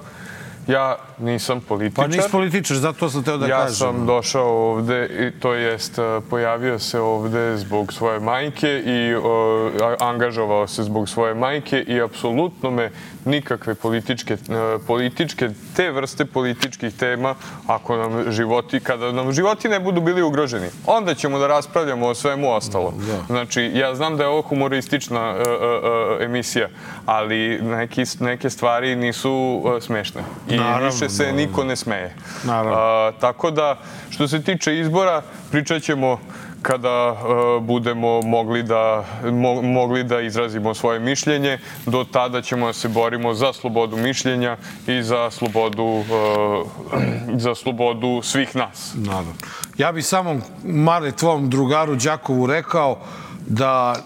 Ja nisam političar. Pa nisi političar, zato sam teo da kažem. Ja sam došao ovde, to jest pojavio se ovde zbog svoje majke i angažovao se zbog svoje majke i apsolutno me nikakve političke, te vrste političkih tema, kada nam životi ne budu bili ugroženi, onda ćemo da raspravljamo o svemu ostalo. Znači, ja znam da je ovo humoristična emisija, ali neke stvari nisu smešne. I više se niko ne smeje. Tako da, što se tiče izbora, pričat ćemo kada budemo mogli da izrazimo svoje mišljenje. Do tada ćemo da se borimo za slobodu mišljenja i za slobodu svih nas. Ja bih samo, Mare, tvom drugaru Đakovu rekao da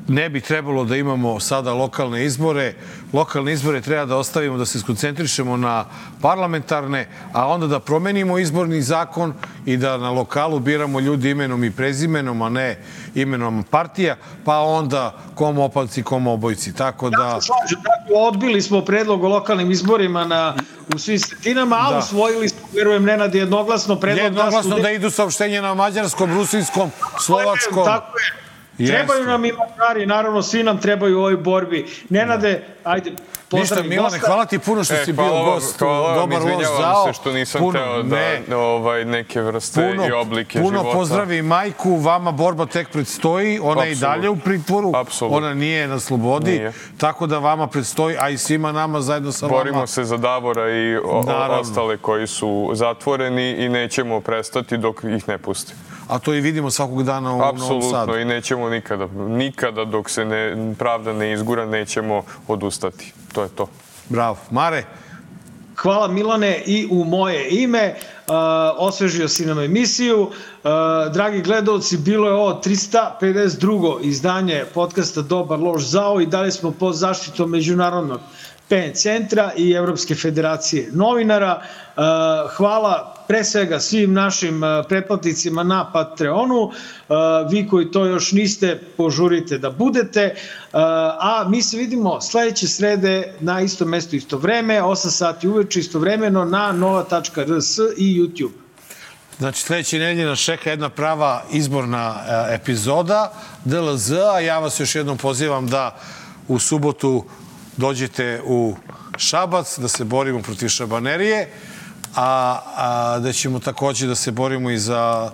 ne bi trebalo da imamo sada lokalne izbore. Lokalne izbore treba da ostavimo, da se skoncentrišemo na parlamentarne, a onda da promenimo izborni zakon i da na lokalu biramo ljudi imenom i prezimenom, a ne imenom partija, pa onda kom opalci, kom obojci. Tako da... Ja se slažem, odbili smo predlog o lokalnim izborima u svim sredinama, a usvojili smo, verujem, Nenad, jednoglasno predlog... Jednoglasno da idu saopštenje na mađarskom, rusinskom, slovačkom... Tako je. Trebaju nam i Mađari, naravno, svi nam trebaju u ovoj borbi. Nenade, ajde, Ništa, Milane, hvala ti puno što si bio gost. Dobar loš zao. Izvinjavam se što nisam teo da neke vrste i oblike života. Puno pozdravi majku, vama borba tek predstoji, ona je i dalje u pritvoru, ona nije na slobodi, tako da vama predstoji, a i svima nama zajedno sa vama. Borimo se za Davora i ostale koji su zatvoreni i nećemo prestati dok ih ne pusti. A to i vidimo svakog dana u Novom Sadu. Apsolutno, i nećemo nikada dok se pravda ne izgura, nećemo odustati. To je to. Bravo. Mare? Hvala Milane i u moje ime. Osvežio si nam emisiju. Dragi gledalci, bilo je ovo 352. izdanje podcasta Dobar loš zao i dalje smo pod zaštitom Međunarodnog PN centra i Evropske federacije novinara. Hvala pre svega svim našim pretplatnicima na Patreonu. Vi koji to još niste, požurite da budete. A mi se vidimo sledeće srede na istom mestu, isto vreme, 8 sati uveče, istovremeno na nova.rs i YouTube. Znači, sledeće nedelje nas čeka jedna prava izborna epizoda DLZ-a. Ja vas još jednom pozivam da u subotu dođete u Šabac, da se borimo protiv šabanerije, a da ćemo takođe da se borimo i za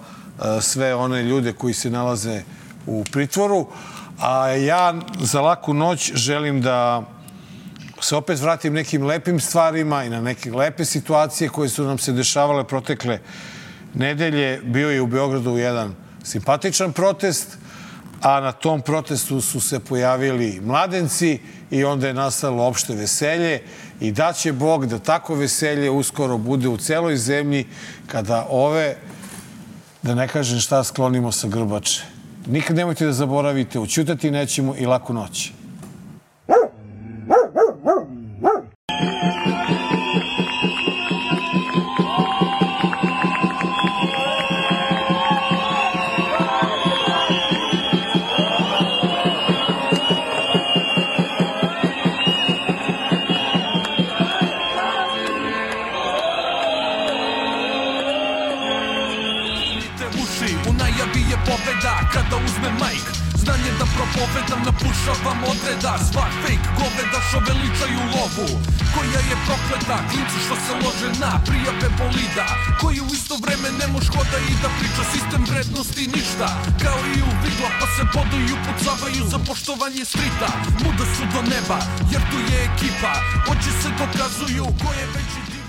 sve one ljude koji se nalaze u pritvoru. A ja za laku noć želim da se opet vratim nekim lepim stvarima i na neke lepe situacije koje su nam se dešavale protekle nedelje. Bio je u Beogradu jedan simpatičan protest, a na tom protestu su se pojavili mladenci i onda je nastalo opšte veselje i daće Bog da tako veselje uskoro bude u celoj zemlji kada ove, da ne kažem šta, sklonimo sa grbače. Nikad nemojte da zaboravite, ućutati nećemo i laku noć. Kada uzme majk, znanje da propovedam, napušavam odreda. Sva fake goveda što veličaju lovu, koja je prokleta, klinci što se lože na prijave bolida, koji u isto vreme ne moš hoda i da priča sistem vrednosti ništa. Kao i u vigla pa se boduju, pucavaju za poštovanje strita. Muda su do neba jer tu je ekipa, oči se dokazuju ko je veći dio.